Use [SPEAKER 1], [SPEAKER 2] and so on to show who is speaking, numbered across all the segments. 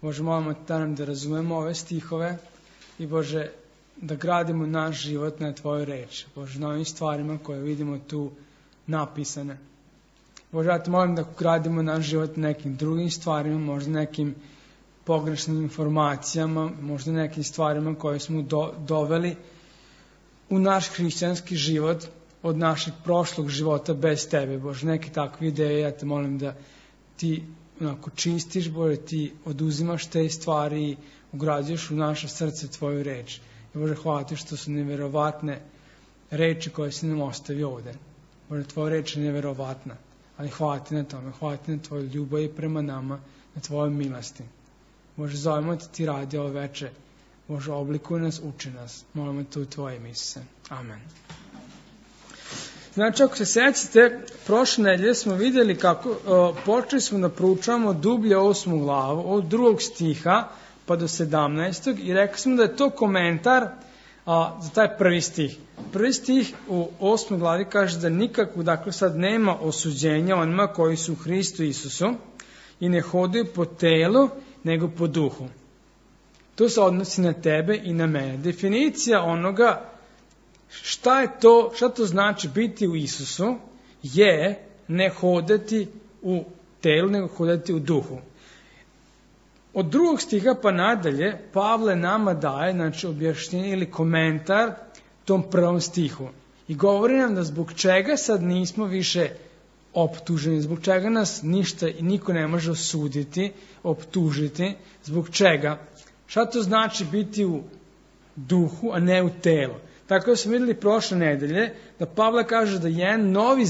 [SPEAKER 1] Bože, molimo te da razumemo ove stihove i Bože, da gradimo naš život na Tvoju reč. Bože, na ovim stvarima koje vidimo tu napisane. Bože, ja te molim da gradimo naš život na nekim drugim stvarima, možda nekim pogrešnim informacijama, možda nekim stvarima koje smo doveli u naš hrišćanski život od našeg prošlog života bez Tebe. Bože, neke takve ideje, ja te molim da Ti onako čistiš, Bože, Ti oduzimaš te stvari i ugrađuješ u naše srce Tvoju reč. I Bože, hvala Ti što su neverovatne reči koje si nam ostavio ovde. Bože, Tvoja reč je neverovatna, ali hvala Ti na tome, hvala Ti na Tvoju ljubav prema nama, na Tvojoj milosti. Bože, zovemo Ti radi ovo veče. Bože, oblikuj nas, uči nas. Molimo Te u Tvoje ime, Isuse. Amen. Znači, ako se sećate, prošle nedelje smo vidjeli kako počeli smo da proučavamo dublje 8. glavu, od 2. stiha pa do 17. i rekli smo da je to komentar za taj prvi stih. Prvi stih u 8. glavi kaže da nikako, dakle sad nema osuđenja onima koji su u Hristu Isusu i ne hodaju po telu, nego po duhu. To se odnosi na tebe i na mene. Definicija onoga šta to znači biti u Isusu je ne hodati u telu, nego hodati u duhu. Od 2. stiha pa nadalje Pavle nama daje, znači, objašnjenje ili komentar tom prvom stihu. I govori nam da zbog čega sad nismo više optuženi, zbog čega nas ništa i niko ne može osuditi, optužiti, zbog čega. Šta to znači biti u duhu, a ne u telu? Tako da smo vidjeli prošle nedelje da Pavle kaže da jedan novi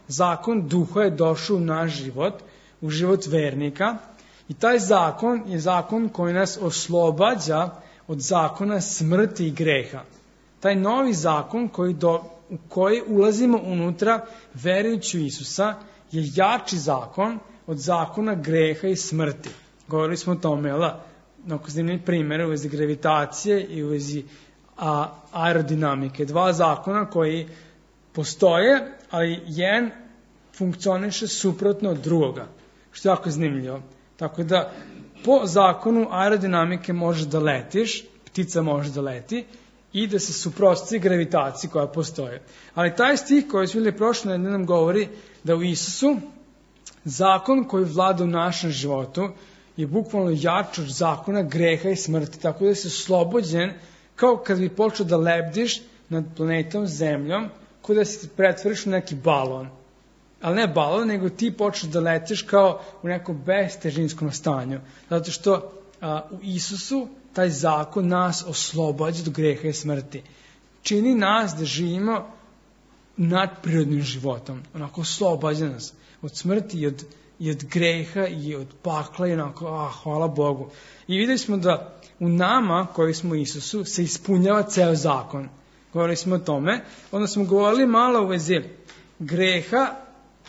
[SPEAKER 1] zakon duha je došao u naš život, u život vernika. I taj zakon je zakon koji nas oslobađa od zakona smrti i greha. Taj novi zakon u koji ulazimo unutra verujući u Isusa je jači zakon od zakona greha i smrti. Govorili smo o tome, onako zanimljiv primjer u vezi gravitacije i u vezi aerodinamike. 2 zakona koji postoje, ali jedan funkcioniše suprotno od drugoga, što je jako zanimljivo. Tako da po zakonu aerodinamike možeš da letiš, ptica može da leti i da se suprotstavi gravitaciji koja postoje. Ali taj stih koji smo vidjeli prošle nedelje nam govori da u Isusu zakon koji vlada u našem životu je bukvalno jači od zakona greha i smrti, tako da si oslobođen kao kad bi počeo da lebdiš nad planetom Zemljom, kao da se pretvoriš u neki balon. Ali ne balon, nego ti počeš da letiš kao u nekom bestežinskom stanju. Zato što u Isusu taj zakon nas oslobađa od greha i smrti. Čini nas da živimo nadprirodnim životom. Onako oslobađa nas od smrti i od greha i od pakla i onako, hvala Bogu. I vidjeli smo da u nama, koji smo u Isusu, se ispunjava ceo zakon. Govorili smo o tome. Onda smo govorili malo u vezi greha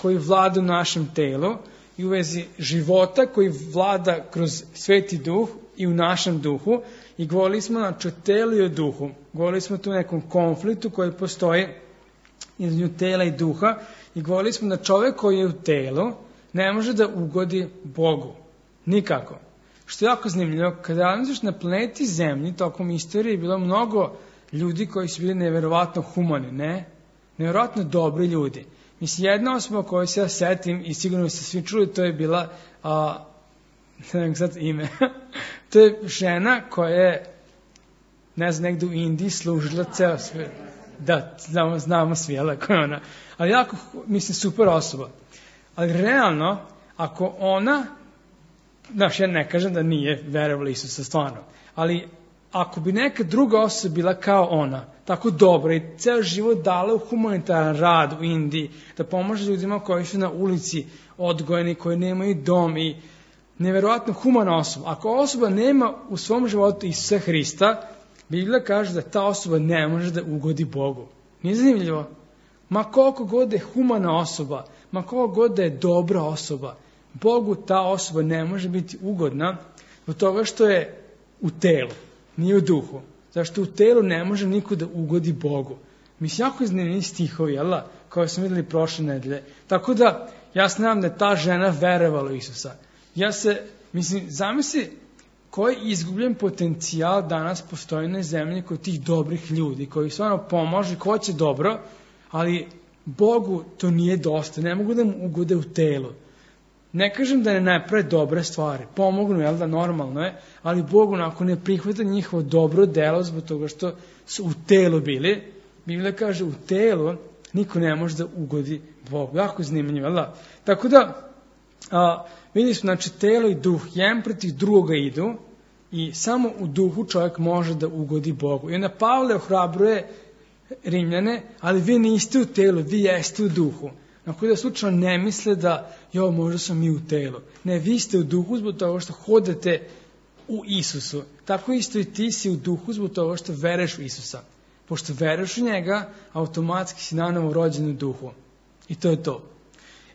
[SPEAKER 1] koji vlada u našem telu i u vezi života koji vlada kroz Sveti Duh i u našem duhu. I govorili smo znači o telu i o duhu. Govorili smo tu o nekom konfliktu koji postoji između tela i duha. I govorili smo da čovjek koji je u telu ne može da ugodi Bogu. Nikako. Što je jako zanimljivo, kada razmišljaš na planeti Zemlji, tokom istorije je bilo mnogo ljudi koji su bili neverovatno humani, ne? Neverovatno dobri ljudi. Mislim, jedna osoba koju se ja setim i sigurno ste svi čuli, to je bila, ne znam sad ime, to je žena koja je, ne znam, negdje u Indiji služila ceo svijet. Da, znamo svi, ali koja je ona. Ali jako, mislim, super osoba. Ali realno, ako ona, znaš, ja ne kažem da nije verovala Isusa stvarno, ali ako bi neka druga osoba bila kao ona, tako dobra i ceo život dala u humanitaran rad u Indiji, da pomaže ljudima koji su na ulici odgojeni, koji nemaju dom i neverovatno humana osoba. Ako osoba nema u svom životu Isusa Hrista, Biblija kaže da ta osoba ne može da ugodi Bogu. Nije zanimljivo? Ma koliko god je humana osoba, ma koliko god da je dobra osoba, Bogu ta osoba ne može biti ugodna zbog toga što je u telu, nije u duhu. Zašto u telu ne može niko da ugodi Bogu. Mislim, jako zanimljivi stihovi, jel da? Koje smo vidjeli prošle nedelje. Tako da, ja znam da je ta žena verovala u Isusa. Ja se Mislim, zamisli koji izgubljen potencijal danas postoji na zemlji kod tih dobrih ljudi, koji stvarno pomažu, ko hoće dobro, ali Bogu to nije dosta, ne mogu da mu ugode u telu. Ne kažem da ne naprave dobre stvari, pomognu, jel da, normalno je, ali Bogu onako ne prihvata njihovo dobro delo zbog toga što su u telu bili. Biblija kaže, u telu niko ne može da ugodi Bogu. Jako zanimljivo, jel da? Tako da, vidimo, znači, telo i duh, jedan protiv drugoga idu i samo u duhu čovjek može da ugodi Bogu. I onda Pavle ohrabruje Rimljane, ali vi niste u telu, vi jeste u duhu. Ako da slučajno ne misle da, možda smo mi u telu. Ne, vi ste u duhu zbog toga što hodate u Isusu. Tako isto i ti si u duhu zbog toga što veruješ u Isusa. Pošto veruješ u njega, automatski si nanovo rođen u duhu. I to je to.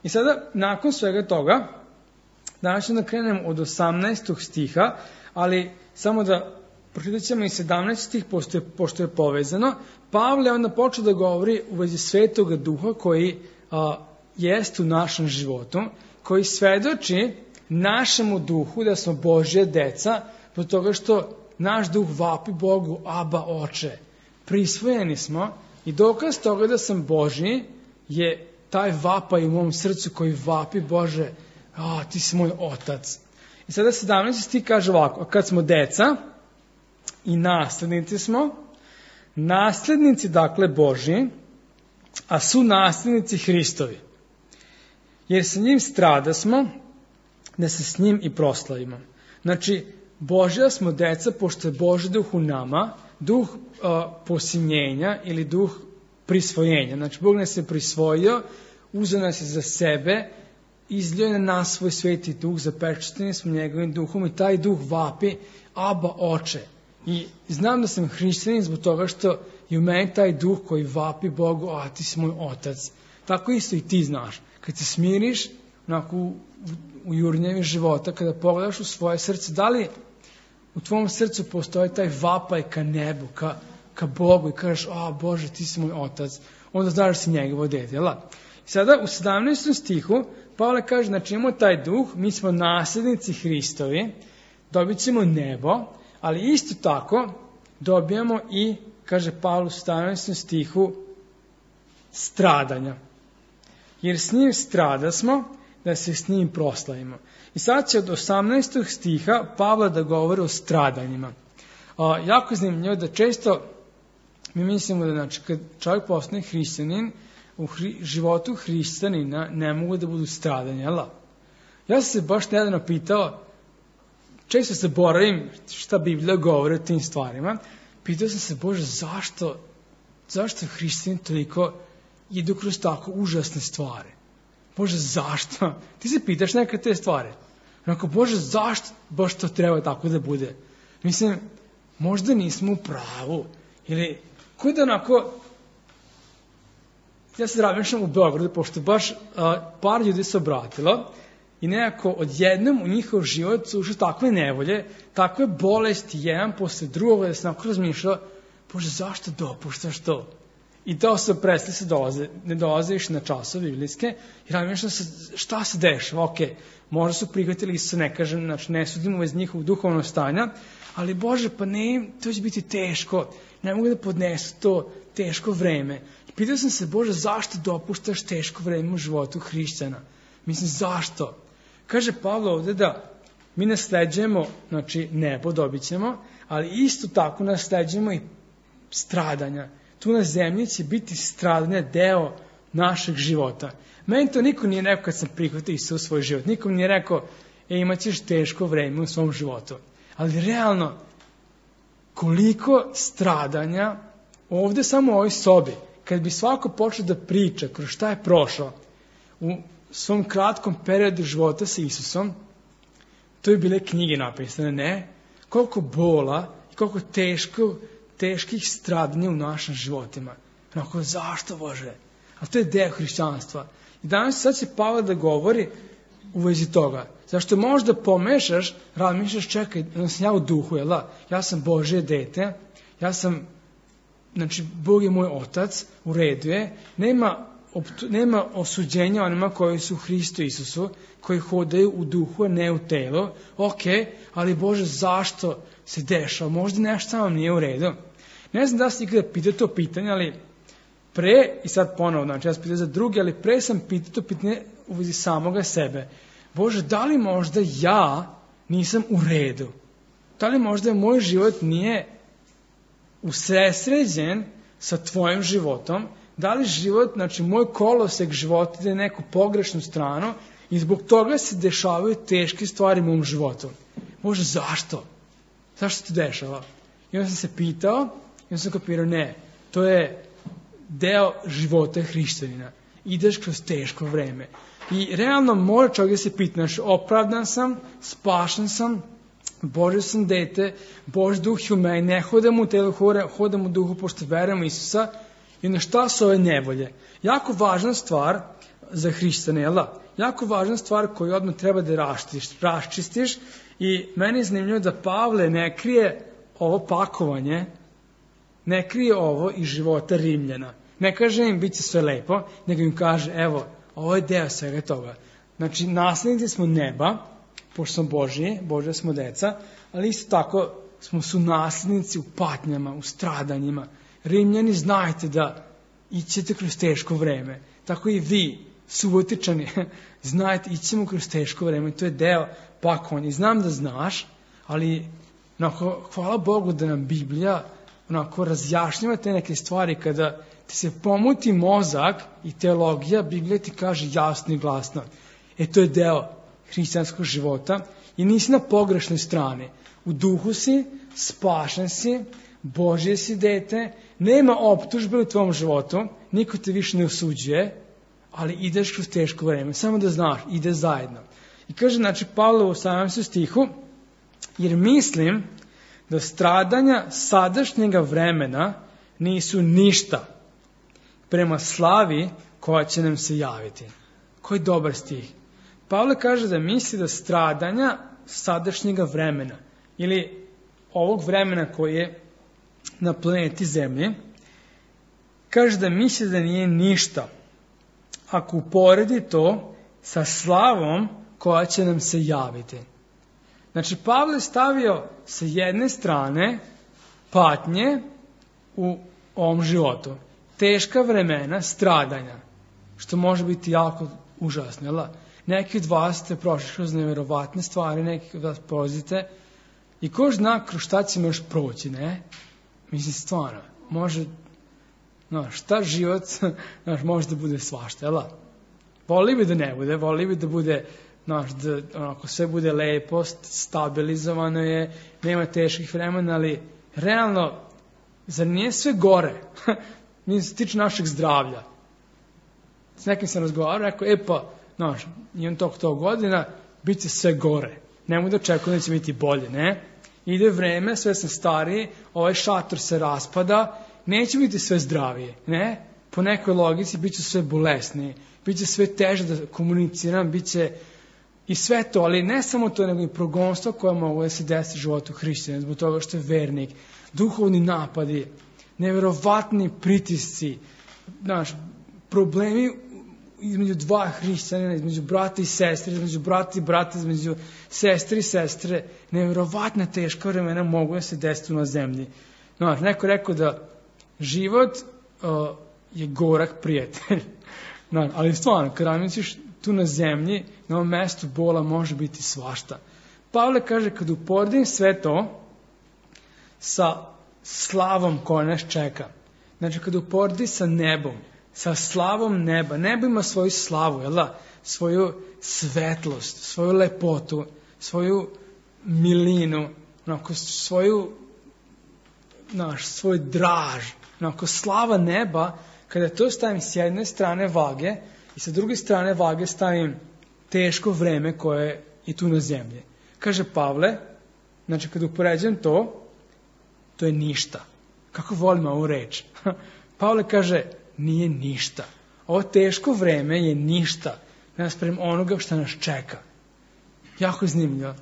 [SPEAKER 1] I sada, nakon svega toga, danas ćemo da krenemo od 18. stiha, ali samo da pročitat ćemo i 17 stih, pošto je povezano. Pavle onda počeo da govori u vezi Svetoga Duha koji jest u našem životu, koji svedoči našemu duhu da smo Božja deca, zbog toga što naš duh vapi Bogu, Aba, Oče. Prisvojeni smo i dokaz toga da sam Božji je taj vapaj u mom srcu koji vapi, Bože, ti si moj otac. I sada 17 stih kaže ovako, a kad smo deca i naslednici smo, naslednici dakle Božji, a su naslednici Hristovi. Jer sa njim stradasmo, da se s njim i proslavimo. Znači, Božja smo deca, pošto je Božji duh u nama, duh posinjenja ili duh prisvojenja. Znači, Bog nas je prisvojio, uzeo nas je za sebe, izlio je na nas svoj sveti duh, zapečateni smo njegovim duhom i taj duh vapi, Aba, Oče. I znam da sam hrišćanin zbog toga što je u meni taj duh koji vapi Bogu, ti si moj otac. Tako isto i ti znaš. Kad se smiriš onako u jurnjevi života, kada pogledaš u svoje srce, da li u tvom srcu postoji taj vapaj ka nebu, ka Bogu i kažeš, Bože, ti si moj otac, onda znaš da si njegovo dete, jel? I sada u 17. stihu Pavle kaže, znači imamo taj duh, mi smo nasljednici Hristovi, dobit ćemo nebo, ali isto tako dobijamo i, kaže Pavle u 17. stihu, stradanja. Jer s njim stradasmo, da se s njim proslavimo. I sad će od 18. stiha Pavla da govori o stradanjima. Jako je zanimljivo da često mi mislimo da, znači, kad čovjek postane hrišćanin, u životu hrišćanina ne mogu da budu stradanja, jel? Ja sam se baš nedavno pitao, često se boravim šta Biblija govori o tim stvarima, pitao sam se, Bože, zašto hrišćani toliko idu kroz tako užasne stvari? Bože, zašto? Ti se pitaš neke te stvari. Onako, Bože, zašto baš to treba tako da bude? Mislim, možda nismo u pravu. Ili, kod onako, ja se razmišljam u Beogradu, pošto baš par ljudi se obratilo i nekako odjednom u njihov život su ušle takve nevolje, takve bolesti, jedan posle drugog, da se onako razmišljao, Bože, zašto dopuštaš to? I to se presli ne dolaze više na časove biblijske i razmišljam se šta se dešava. Ok, možda su prihvatili se, ne kažem, znači ne sudimo već njihovog duhovnog stanja, ali Bože, pa ne, to će biti teško, ne mogu da podnesu to teško vreme. I pitao sam se, Bože, zašto dopuštaš teško vreme u životu hrišćana? Mislim, zašto? Kaže Pavle ovdje da mi nasleđujemo, znači nebo dobit ćemo, ali isto tako nasleđujemo i stradanja. Tu na zemlji će biti stradanje deo našeg života. Meni to niko nije rekao kad sam prihvatio Isusa u svoj život. Nikom nije rekao, imat ćeš teško vreme u svom životu. Ali realno, koliko stradanja ovdje samo u ovoj sobi, kad bi svako počeo da priča kroz šta je prošao u svom kratkom periodu života sa Isusom, to bi bile knjige napisane, ne? Koliko bola i koliko teških stradanja u našim životima. Onako, zašto, Bože? A to je deo hrišćanstva. I danas sad će Pavle da govori u vezi toga. Zašto možda pomešaš, razmišljaš, čekaj, ja u duhu, jel da? Ja sam Božje dete, znači, Bog je moj otac, u redu je, nema nema osuđenja onima koji su u Hristu Isusu, koji hodaju u duhu, a ne u telu. Ok, ali Bože, zašto se dešava? Možda nešto samo nije u redu. Ne znam da ste ikada pitao to pitanje, ali i sad ponovo, znači ja sam pitao za druge, ali pre sam pitao to pitanje u vezi samoga sebe. Bože, da li možda ja nisam u redu? Da li možda moj život nije usresređen sa tvojim životom? Da li život, znači moj kolosek života ide neku pogrešnu stranu i zbog toga se dešavaju teške stvari u mom životu? Bože, zašto? Zašto se dešava? I onda sam se pitao i onda sam kapirao, ne, to je deo života hrišćanina. Ideš kroz teško vreme. I realno mora čovjek da se pita, znači opravdan sam, spašen sam, Božje sam dete, Božji duh je u meni, ne hodam u telu, hodam u duhu pošto verujem u Isusa. I na šta su ove nevolje? Jako važna stvar za hrišćane, jel da? Jako važna stvar koju odmah treba da raščistiš i meni je zanimljivo da Pavle ne krije ovo pakovanje, ne krije ovo iz života Rimljana. Ne kaže im bit će sve lepo, nego im kaže, evo, ovo je deo svega toga. Znači, naslednici smo neba, pošto smo Božja smo deca, ali isto tako smo su naslednici u patnjama, u stradanjima. Rimljani, znajte da ićete kroz teško vreme. Tako i vi, Subotičani, znajte, ićemo kroz teško vreme. To je deo pakovanja. I znam da znaš, ali hvala Bogu da nam Biblija razjašnjava te neke stvari. Kada ti se pomuti mozak i teologija, Biblija ti kaže jasno i glasno. To je deo hrišćanskog života i nisi na pogrešnoj strani. U duhu si, spašen si, Božje si dete, nema optužbe u tvom životu, niko te više ne osuđuje, ali ideš kroz teško vreme. Samo da znaš, ide zajedno. I kaže, znači, Pavle u 18. stihu, jer mislim da stradanja sadašnjega vremena nisu ništa prema slavi koja će nam se javiti. Koji dobar stih. Pavle kaže da misli da stradanja sadašnjega vremena ili ovog vremena koji je na planeti Zemlji, kaže da misli da nije ništa ako uporedi to sa slavom koja će nam se javiti. Znači, Pavle stavio sa jedne strane patnje u ovom životu. Teška vremena, stradanja, što može biti jako užasno, jel? Neki od vas ste prošli kroz neverovatne stvari, neki od vas prolazite i ko zna kroz šta ćemo još proći, ne? Mislim, stvarno, može, šta život, može da bude svašta, jel? Voli bi da ne bude, voli bi da bude, da sve bude lepo, stabilizovano je, nema teških vremena, ali realno, zar nije sve gore? Mi se tiče našeg zdravlja. S nekim sam razgovarao, rekao, imam toliko godina, bit će sve gore. Nemoj da očekujem da će biti bolje, ne? Ide vreme, sve sam stariji, ovaj šator se raspada, neće biti sve zdravije, ne? Po nekoj logici bit će sve bolesnije, bit će sve teže da komuniciram, bit će i sve to, ali ne samo to, nego i progonstvo koje mogu da se desi u životu hrišćana, zbog toga što je vernik, duhovni napadi, neverovatni pritisci, problemi između dva hrišćanina, između brata i sestre, između brata i brata, između sestre i sestre, neverovatna teška vremena mogu da se desiti na zemlji. Neko je rekao da život je gorak prijatelj. Ali stvarno, kada razmisliš tu na zemlji, na ovom mestu bola može biti svašta. Pavle kaže, kad uporedim sve to sa slavom koja nas čeka, znači kad uporedi sa nebom, sa slavom neba. Nebo ima svoju slavu, jel da? Svoju svetlost, svoju lepotu, svoju milinu, svoj draž. Slava neba, kada to stavim s jedne strane vage i sa druge strane vage stavim teško vreme koje je tu na zemlji. Kaže Pavle, znači kad upoređujem to je ništa. Kako volim ovu reč? Pavle kaže, nije ništa. Ovo teško vreme je ništa naspram onoga što nas čeka. Jako zanimljivo.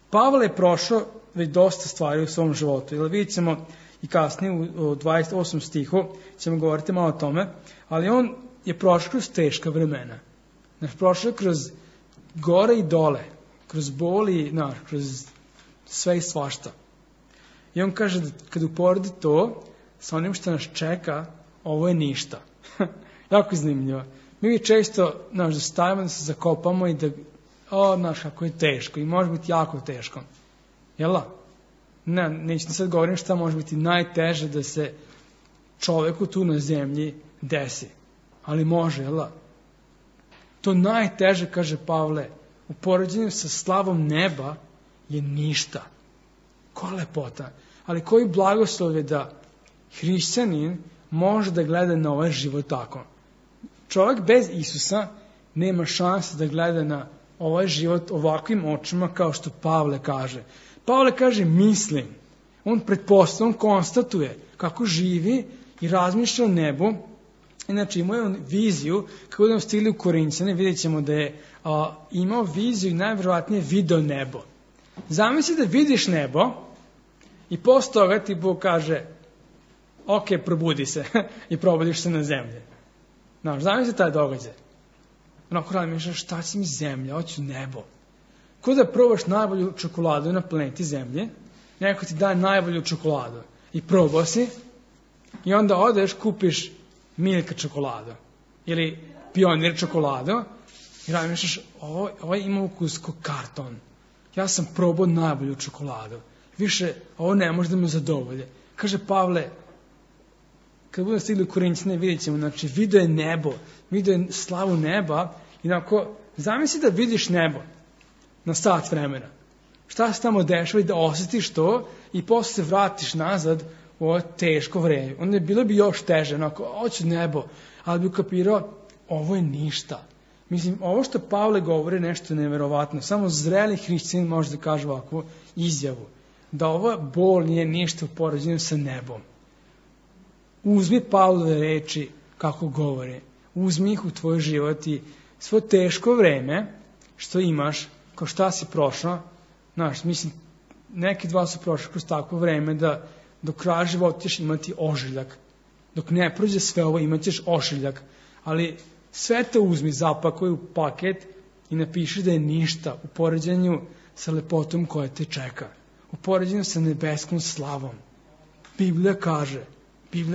[SPEAKER 1] Pavle je prošao već dosta stvari u svom životu. Jer vidjet ćemo i kasnije u 28. stihu ćemo govoriti malo o tome. Ali on je prošao kroz teška vremena. Znaš, prošao je kroz gore i dole, kroz boli, kroz sve i svašta. I on kaže da kad uporedi to sa onim što nas čeka, ovo je ništa. Jako zanimljivo. Mi često, da stavimo da se zakopamo i da, kako je teško i može biti jako teško. Jel' da? Ne, neću sad govorim šta može biti najteže da se čoveku tu na zemlji desi. Ali može, jel' da? To najteže, kaže Pavle, u poređenju sa slavom neba je ništa. Koja lepota. Ali koji blagoslov je da hrišćanin može da gleda na ovaj život tako. Čovjek bez Isusa nema šanse da gleda na ovaj život ovakvim očima kao što Pavle kaže. Pavle kaže mislim. On pretpostavlja, on konstatuje kako živi i razmišlja o nebu. Inače imao je viziju, kako budemo stigli u Korinćane, vidjet ćemo da je imao viziju i najvjerovatnije video nebo. Zamisli da vidiš nebo i posle toga ti Bog kaže ok, probudi se i probudiš se na zemlji. Zamisli taj događaj. Onako razmišljaš, šta će mi zemlja, hoću nebo. Ko da probaš najbolju čokoladu na planeti zemlje, neko ti daje najbolju čokoladu i probao si i onda odeš, kupiš Milka čokoladu ili Pionir čokoladu i razmišljaš, ovo ima ukus ko karton. Ja sam probao najbolju čokoladu. Više ovo ne može da me zadovolje. Kaže Pavle, kad budemo stigli u Korinćane, vidjet ćemo, znači, video je nebo, video je slavu neba, i onako, zamisli da vidiš nebo na sat vremena. Šta se tamo dešava i da osjetiš to i posle se vratiš nazad u ovo teško vreme. Onda bilo bi još teže, onako, hoću nebo, ali bi ukapirao, ovo je ništa. Mislim, ovo što Pavle govori je nešto neverovatno. Samo zreli hrišćanin može da kaže ovakvu izjavu. Da ova bol nije ništa u poređenju sa nebom. Uzmi Pavlove reči kako govore. Uzmi ih u tvoj život i svo teško vreme što imaš, kao šta si prošao, mislim, neki dva su prošli kroz takvo vreme da do kraja života ćeš imati ožiljak. Dok ne prođe sve ovo, imat ćeš ožiljak. Ali sve to uzmi, zapakuj u paket i napiši da je ništa u poređenju sa lepotom koja te čeka. U poređenju sa nebeskom slavom. Biblija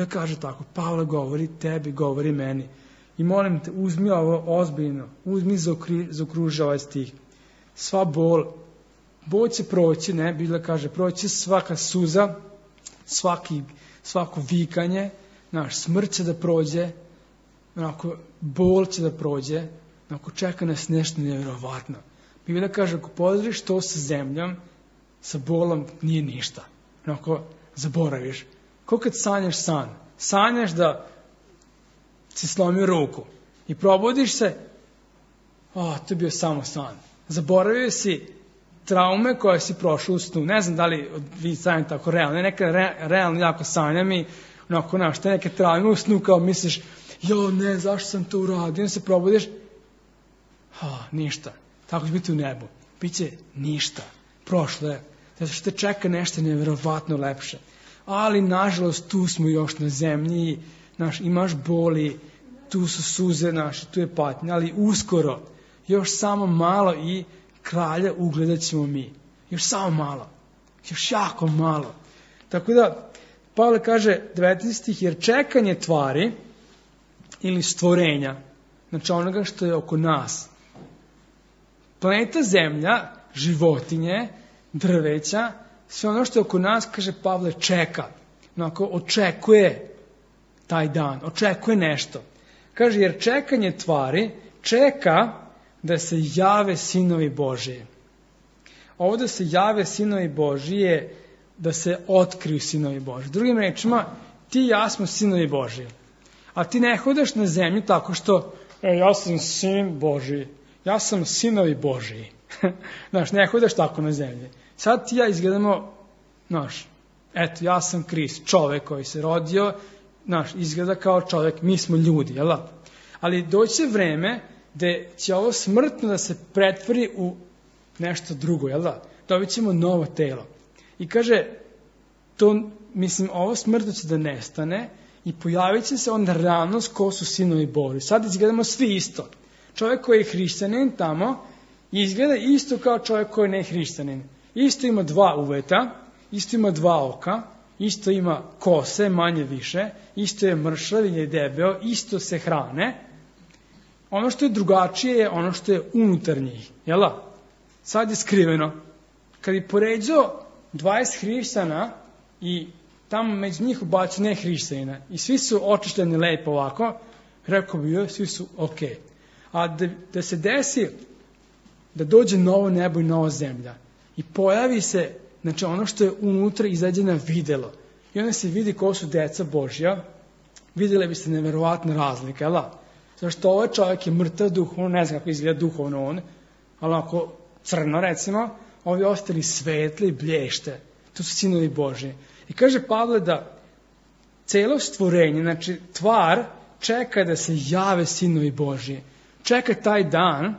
[SPEAKER 1] kaže tako, Pavle govori tebi, govori meni. I molim te, uzmi ovo ozbiljno, uzmi zaokruži ovaj stih. Sva bol će proći, Biblija kaže, proći svaka suza, svako vikanje, smrt će da prođe, bol će da prođe, čeka nas nešto nevjerovatno. Biblija kaže, ako podariš to sa zemljom, sa bolom nije ništa. Zaboraviš. Ko kad sanjaš san? Sanjaš da si slomio ruku i probudiš se, to je bio samo san. Zaboravio si traume koje si prošao u snu. Ne znam da li vi sanjate tako realno. Neka realno jako sanjam i te neke traume u snu kao misliš, zašto sam to uradio? I se probudiš, ništa. Tako će biti u nebu. Biće ništa. Prošlo je. Zato što te čeka nešto nevjerovatno lepše. Ali, nažalost, tu smo još na zemlji, imaš boli, tu su suze naše, tu je patnja, ali uskoro, još samo malo i kralja ugledat ćemo mi. Još samo malo. Još jako malo. Tako da, Pavle kaže 19 stih, jer čekanje tvari ili stvorenja, znači onoga što je oko nas, planeta Zemlja, životinje, drveća, sve ono što je oko nas, kaže Pavle, čeka. Očekuje taj dan, očekuje nešto. Kaže, jer čekanje tvari čeka da se jave sinovi Božiji. Ovo da se jave sinovi Božiji je da se otkriju sinovi Božiji. Drugim rečima, ti i ja smo sinovi Božiji. A ti ne hodaš na zemlji tako što, ja sam sin Božiji, ja sam sinovi Božiji. Ne hodaš tako na zemlji. Sad ti ja izgledamo, eto, ja sam Krist, čovek koji se rodio, izgleda kao čovek, mi smo ljudi, jel da? Ali doće vreme gde će ovo smrtno da se pretvori u nešto drugo, jel da? Dobit ćemo novo telo. I kaže, ovo smrtno će da nestane i pojavit će se onda realnost ko su sinovi Božji. Sad izgledamo svi isto. Čovjek koji je hrišćanin tamo izgleda isto kao čovjek koji ne je hrišćanin. Isto ima 2 uveta, isto ima 2 oka, isto ima kose, manje više, isto je mršav ili je debeo, isto se hrane. Ono što je drugačije je ono što je unutar njih. Jela? Sad je skriveno. Kad bi poređao 20 hrišćana i tamo među njih ubacio ne hrišćanina i svi su očišljeni lepo ovako, rekao bi joj, svi su ok. A da se desi da dođe novo nebo i nova zemlja i pojavi se, znači ono što je unutra izađe na videlo i onda se vidi ko su deca Božja, vidjeli biste neverovatne razlike, jel? Zašto ovaj čovjek je mrtav duhovno, ne znam kako izgleda duhovno on, ali ako crno recimo, ovi ostali svetli i blješte, to su sinovi Božji. I kaže Pavle da celo stvorenje, znači tvar, čeka da se jave sinovi Božji. Čeka taj dan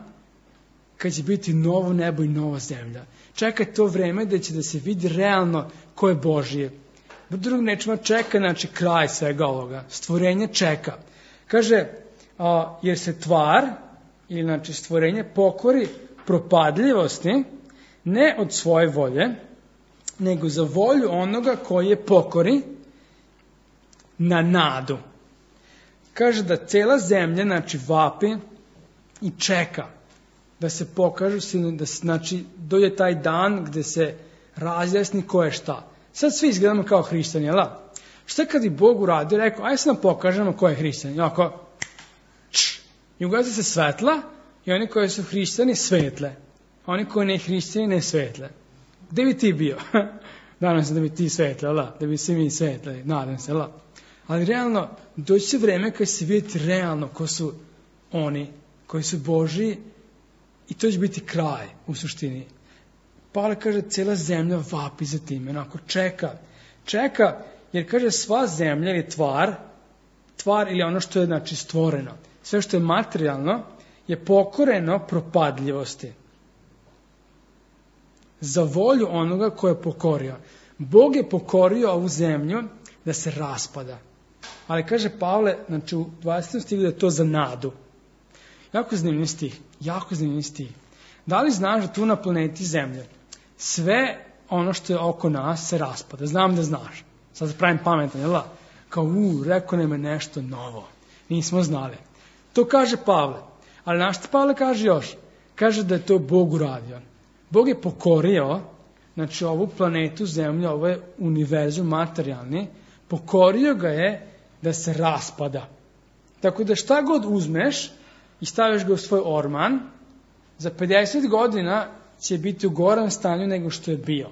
[SPEAKER 1] kad će biti novo nebo i nova zemlja. Čeka to vreme da će da se vidi realno ko je Božje. Drugim rečima čeka, znači kraj svega ovoga. Stvorenje čeka. Kaže, jer se tvar, ili znači stvorenje, pokori propadljivosti, ne od svoje volje, nego za volju onoga koji je pokori na nadu. Kaže da cela zemlja, znači vapi i čeka da se pokažu sinovi, da znači dođe taj dan gde se razjasni ko je šta. Sad svi izgledamo kao hrišćani, jel? Šta kad i Bog uradio, rekao, ajde se nam pokažemo ko je hrišćan. I ovako, i ugasi se svetla i oni koji su hrišćani svetle. A oni koji ne hrišćani ne svetle. Gde bi ti bio? Nadam se da bi ti svetle, jel? Da bi svi mi svetle, nadam se, jel? Ali realno, doći će vreme kad se vidjeti realno ko su oni koji su Božji i to će biti kraj u suštini. Pavle kaže, cijela zemlja vapi za tim, onako čeka, jer kaže sva zemlja ili tvar ili ono što je znači stvoreno, sve što je materijalno je pokoreno propadljivosti. Za volju onoga ko je pokorio. Bog je pokorio ovu zemlju da se raspada. Ali kaže Pavle, znači u 20. stihu da je to za nadu. Jako zanimljiv stih. Da li znaš da tu na planeti Zemlje sve ono što je oko nas se raspada? Znam da znaš. Sad se pravim pametan, jel? Kao, rekao nam je nešto novo. Nismo znali. To kaže Pavle. Ali našto Pavle kaže još? Kaže da je to Bog uradio. Bog je pokorio, znači ovu planetu Zemlju, ovaj univerzum materijalni, pokorio ga je da se raspada. Tako da šta god uzmeš i staviš ga u svoj orman, za 50 godina će biti u gorem stanju nego što je bio.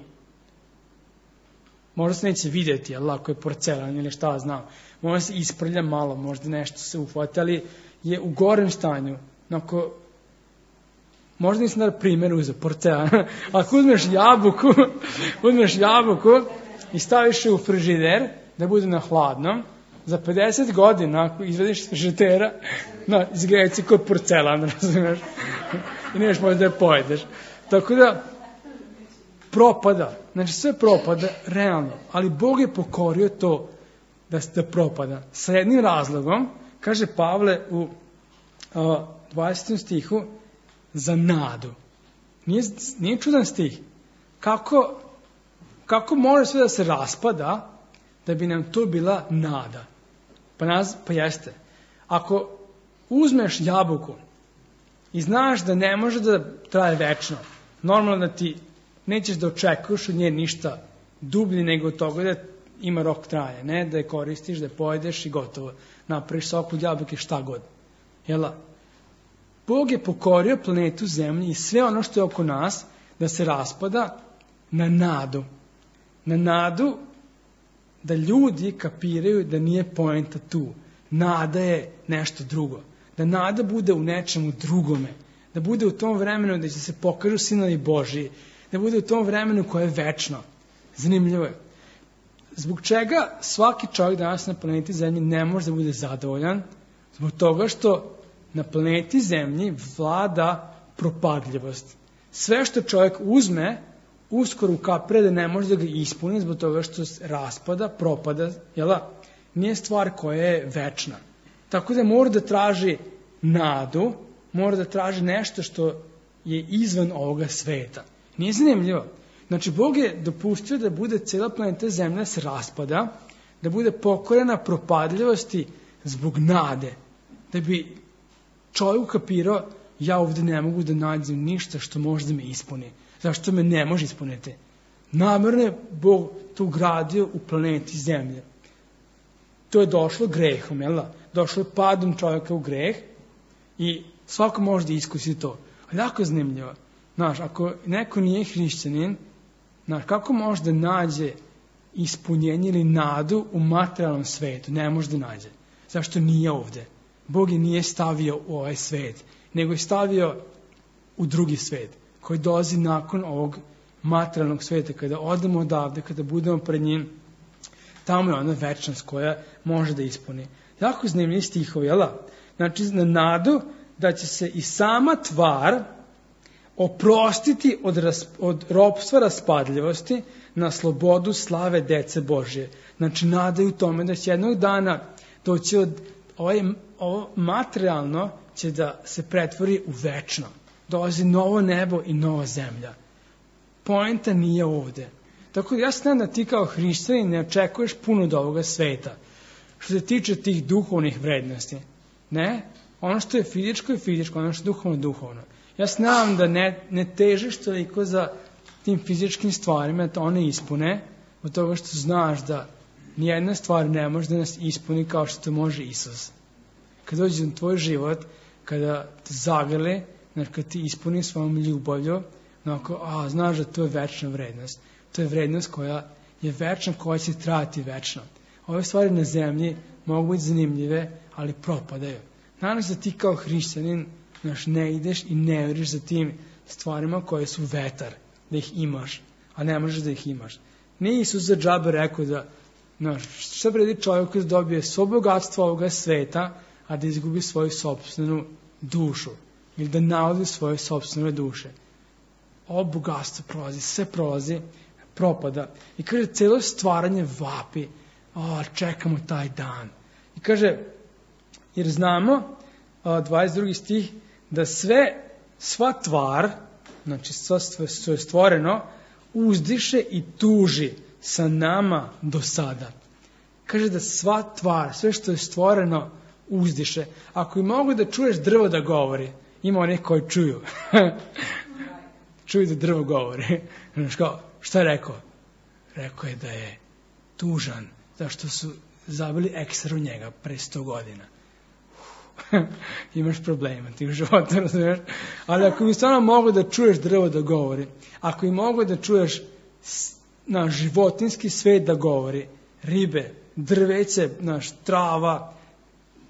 [SPEAKER 1] Možda se neće vidjeti, jel, ako je porcelan ili šta znam. Možda se isprlja malo, možda nešto se ufati, ali je u gorem stanju. Onako, možda nisam da primjer uzeo porcelan. Ako uzmeš jabuku i staviš je u frižider, da bude na hladnom, za 50 godina, ako izvediš iz frižidera, izgleda si kod porcelan, razumiješ? I nemaš možda da je pojedeš. Tako da, propada. Znači, sve propada, realno. Ali Bog je pokorio to da propada. Sa jednim razlogom, kaže Pavle u 20. stihu, za nadu. Nije čudan stih. Kako može sve da se raspada, da bi nam to bila nada? Pa jeste. Ako uzmeš jabuku i znaš da ne može da traje večno, normalno da ti nećeš da očekuješ od nje ništa dublje nego od toga da ima rok traje, ne da je koristiš, da je pojedeš i gotovo. Napraviš sok od jabuke šta god. Jel? Bog je pokorio planetu Zemlji i sve ono što je oko nas da se raspada na nadu. Na nadu da ljudi kapiraju da nije poenta tu. Nada je nešto drugo. Da nada bude u nečemu drugome. Da bude u tom vremenu da će se pokažu sinovi Božji. Da bude u tom vremenu koje je večno. Zanimljivo je. Zbog čega svaki čovjek danas na planeti Zemlji ne može da bude zadovoljan? Zbog toga što na planeti Zemlji vlada propadljivost. Sve što čovjek uzme, uskoro ukapira da ne može da ga ispuni zbog toga što raspada, propada, jel? nije stvar koja je večna. Tako da mora da traži nadu, mora da traži nešto što je izvan ovoga sveta. Nije zanimljivo. Znači, Bog je dopustio da bude cela planeta Zemlja se raspada, da bude pokorena propadljivosti zbog nade, da bi čovjek ukapirao, ja ovdje ne mogu da nađem ništa što može da me ispuni. Zašto me ne može ispuniti? Namerno je Bog to ugradio u planeti Zemlje. To je došlo grehom, jel da? Došlo je padom čovjeka u greh i svako može da iskusi to. Ali jako zanimljivo. Znaš, ako neko nije hrišćanin, znaš, kako može da nađe ispunjenje ili nadu u materijalnom svetu? Ne može da nađe. Zašto nije ovdje? Bog je nije stavio u ovaj svet, nego je stavio u drugi svet, koji dolazi nakon ovog materijalnog sveta, kada odemo odavde, kada budemo pred njim, tamo je ona večnost koja može da ispuni. Jako zanimljivi stihovi, jel da? Znači, na nadu da će se i sama tvar oprostiti od ropstva raspadljivosti na slobodu slave dece Božje. Znači, nadaju tome da će jednog dana doći ovo materijalno će da se pretvori u večno. Dolazi novo nebo i nova zemlja. Poenta nije ovde. Tako da ja znam da ti kao hrišćanin ne očekuješ puno od ovoga sveta. Što se tiče tih duhovnih vrednosti. Ne? Ono što je fizičko, ono što je duhovno, duhovno. Ja znam da ne težiš toliko za tim fizičkim stvarima, da one ispune, od toga što znaš da nijedna stvar ne može da nas ispuni kao što to može Isus. Kad dođe u tvoj život, kada te zagrli, kad ti ispuni svojom ljubavlju, znaš da to je večna vrednost. To je vrednost koja je večna, koja će trajati večno. Ove stvari na zemlji mogu biti zanimljive, ali propadaju. Nadam se da ti kao hrišćanin ne ideš i ne veriš za tim stvarima koje su vetar, da ih imaš, a ne možeš da ih imaš. Nije Isus za džabe rekao da šta vredi čovjek koji dobije svo bogatstvo ovoga sveta, a da izgubi svoju sopstvenu dušu ili da navodi svoje sopstvene duše. Ovo bogatstvo prolazi, sve prolazi, propada. I kaže, celo stvaranje vapi, čekamo taj dan. I kaže, jer znamo, 22. stih, da sva tvar, znači sva što je stvoreno, uzdiše i tuži sa nama do sada. Kaže da sva tvar, sve što je stvoreno, uzdiše. Ako i mogu da čuješ drvo da govori, ima onih koji čuju. Čuju da drvo govori. Šta je rekao? Rekao je da je tužan, zašto su zabili ekser u njega pre 100 godina. Imaš problema ti u životu, razumiješ? Ali ako mi stvarno mogu da čuješ drvo da govori, ako i mogu da čuješ životinski svet da govori, ribe, drveće, trava,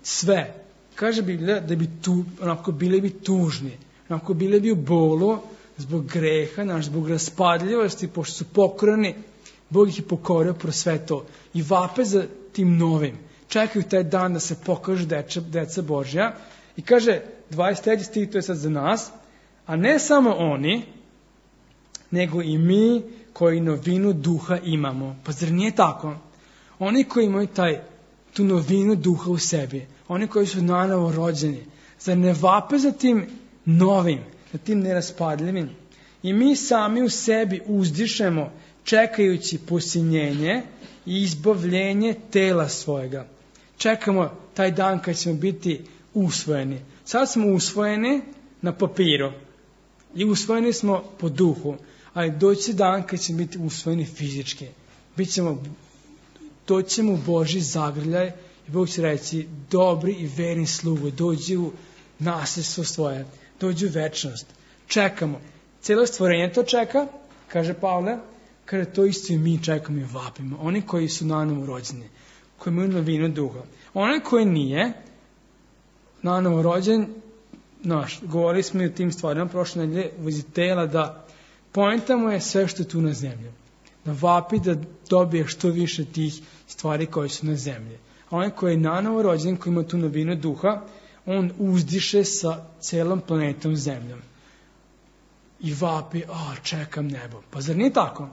[SPEAKER 1] sve, kaže Biblija da bi bili bi tužni, bili bi u bolu zbog greha, zbog raspadljivosti, pošto su pokorani, Bog ih je pokorio pro sve to i vape za tim novim. Čekaju taj dan da se pokažu deca Božja i kaže 23. stih, to je sad za nas, a ne samo oni, nego i mi koji novinu duha imamo. Pa zar nije tako? Oni koji imaju tu novinu duha u sebi, oni koji su nanovo rođeni, zar ne vape za tim novim, za tim neraspadljivim? I mi sami u sebi uzdišemo čekajući posinjenje i izbavljenje tela svojega. Čekamo taj dan kad ćemo biti usvojeni. Sad smo usvojeni na papiru i usvojeni smo po duhu, ali doći dan kad ćemo biti usvojeni fizički. Doći ćemo u Božji zagrljaj i Bog će reći, dobri i verni slugo, dođi u nasljedstvo svoje, dođi u večnost. Čekamo. Cijelo stvorenje to čeka, kaže Pavle, kaže to isto i mi čekamo i vapimo. Oni koji su nanovo rođeni, koji imaju novinu duha. Onaj koji nije nanovo rođen, govorili smo i o tim stvarima prošle nedelje, u vezi tela, da poenta mu je sve što je tu na zemlji. Da vapi da dobije što više tih stvari koje su na zemlji. A onaj koji je nanovo rođen, koji ima tu novinu duha, on uzdiše sa celom planetom zemljom. I vapi, čekam nebo. Pa zar nije tako?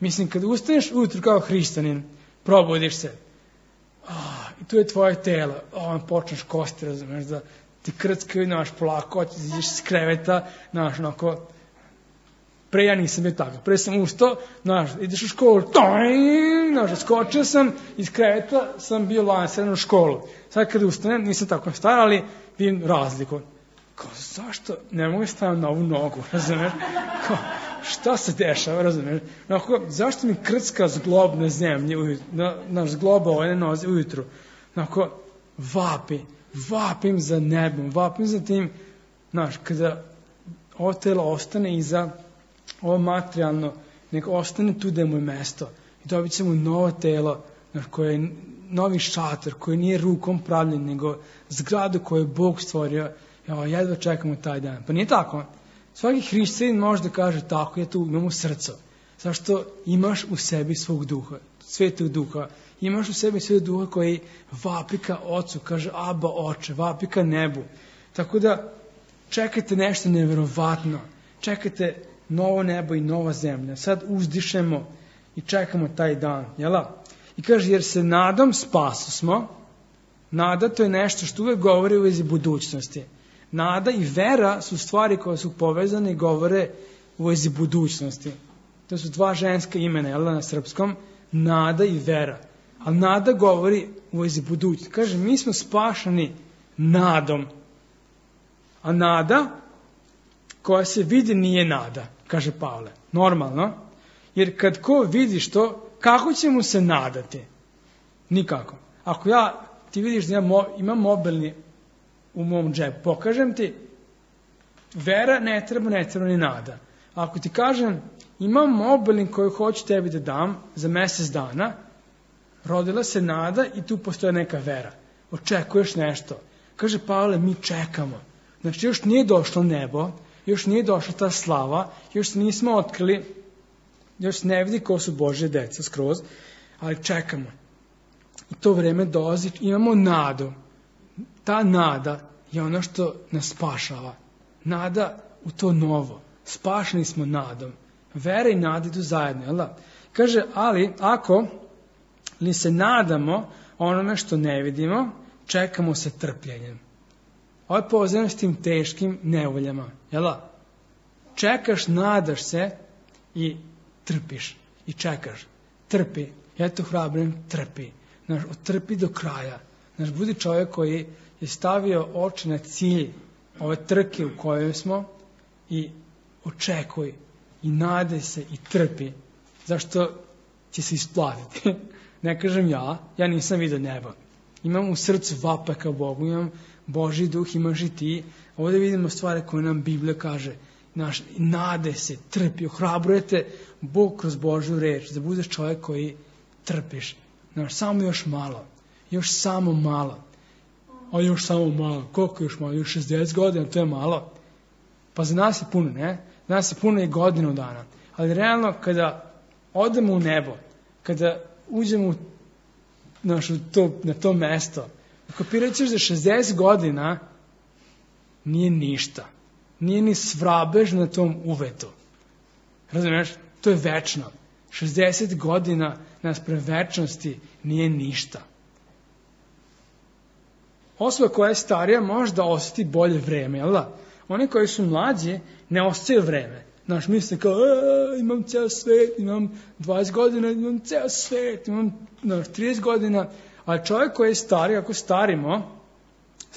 [SPEAKER 1] Mislim, kad ustaneš ujutru kao hrišćanin, probudiš se, I tu je tvoje telo, počneš kosti, razumeš, da ti krckaju, polako, hoćeš da izađeš iz kreveta, onako, pre ja nisam bio tako, pre sam ustao, ideš u školu, skočio sam, iz kreveta sam bio lansiran u školu. Sad kada ustanem, nisam tako star, ali vidim razliku. Zašto ne mogu staviti na ovu nogu, razumeš? Šta se dešava, razumeš? Zašto mi krcka zglob na zemlji, zgloba ove noze ujutru? Vapim za nebom, vapim za tim, kada ovo telo ostane iza ovo materijalno, nek ostane tu da je mu mesto. I dobit ćemo novo telo, koje je novi šator, koji nije rukom pravljen, nego zgradu koju je Bog stvorio. Jedva čekamo taj dan. Pa nije tako. Svaki hrišćanin može da kaže tako, ja tu imam u srcu. Zašto imaš u sebi svog duha, svetog duha. Imaš u sebi svetog duha koji vapi ka ocu, kaže Aba oče, vapi ka nebu. Tako da čekajte nešto neverovatno. Čekajte novo nebo i nova zemlja. Sad uzdišemo i čekamo taj dan. Jela? I kaže, jer se nadom spasu smo. Nada to je nešto što uvek govori u vezi budućnosti. Nada i vera su stvari koje su povezane i govore u vezi budućnosti. To su dva ženska imena, jel, na srpskom, nada i vera. Ali nada govori u vezi budućnosti. Kaže, mi smo spašani nadom. A nada koja se vidi nije nada, kaže Pavle. Normalno. Jer kad ko vidiš to, kako će mu se nadati? Nikako. Ako ti vidiš da imam mobilni u mom džepu, pokažem ti, vera ne treba ni nada. Ako ti kažem, imam mobilni koji hoću tebi da dam za mjesec dana, rodila se nada i tu postoje neka vera. Očekuješ nešto. Kaže Pavle, mi čekamo. Znači, još nije došlo nebo, još nije došla ta slava, još se nismo otkrili, još se ne vidi ko su Božje deca skroz, ali čekamo. I to vreme dolazi, imamo nadu. Ta nada je ono što nas spašava. Nada u to novo. Spašeni smo nadom. Vera i nada idu zajedno, jel da? Kaže, ali ako li se nadamo onome što ne vidimo, čekamo sa trpljenjem. Ovo je povezano s tim teškim nevoljama, jel da? Čekaš, nadaš se i trpiš. I čekaš. Trpi. Ja to hrabrim, trpi. Trpi do kraja. Budi čovjek koji je stavio oči na cilj ove trke u kojoj smo i očekuj i nadaj se i trpi. Zašto će se isplatiti? Ne kažem ja nisam vidio nebo. Imam u srcu vapa ka Bogu, imam Božji duh, imaš i ti. Ovdje vidimo stvari koje nam Biblija kaže. Nadaj se, trpi, ohrabrujete Bog kroz Božju reč, da budeš čovjek koji trpiš. Samo još malo. Još samo malo. A još samo malo. Koliko još malo? Još 60 godina, to je malo. Pa za nas je puno, ne? Za nas je puno i godinu dana. Ali realno, kada odemo u nebo, kada uđemo na to mesto, kapirat ćeš da 60 godina nije ništa. Nije ni svrabež na tom uvetu. Razumiješ? To je večno. 60 godina naspram večnosti nije ništa. Osoba koja je starija može da osjeti bolje vreme, jel da? Oni koji su mlađi ne osjećaju vreme. Misle kao, imam ceo svet, imam 20 godina, imam ceo svet, imam 30 godina. Ali čovjek koji je stariji, ako starimo,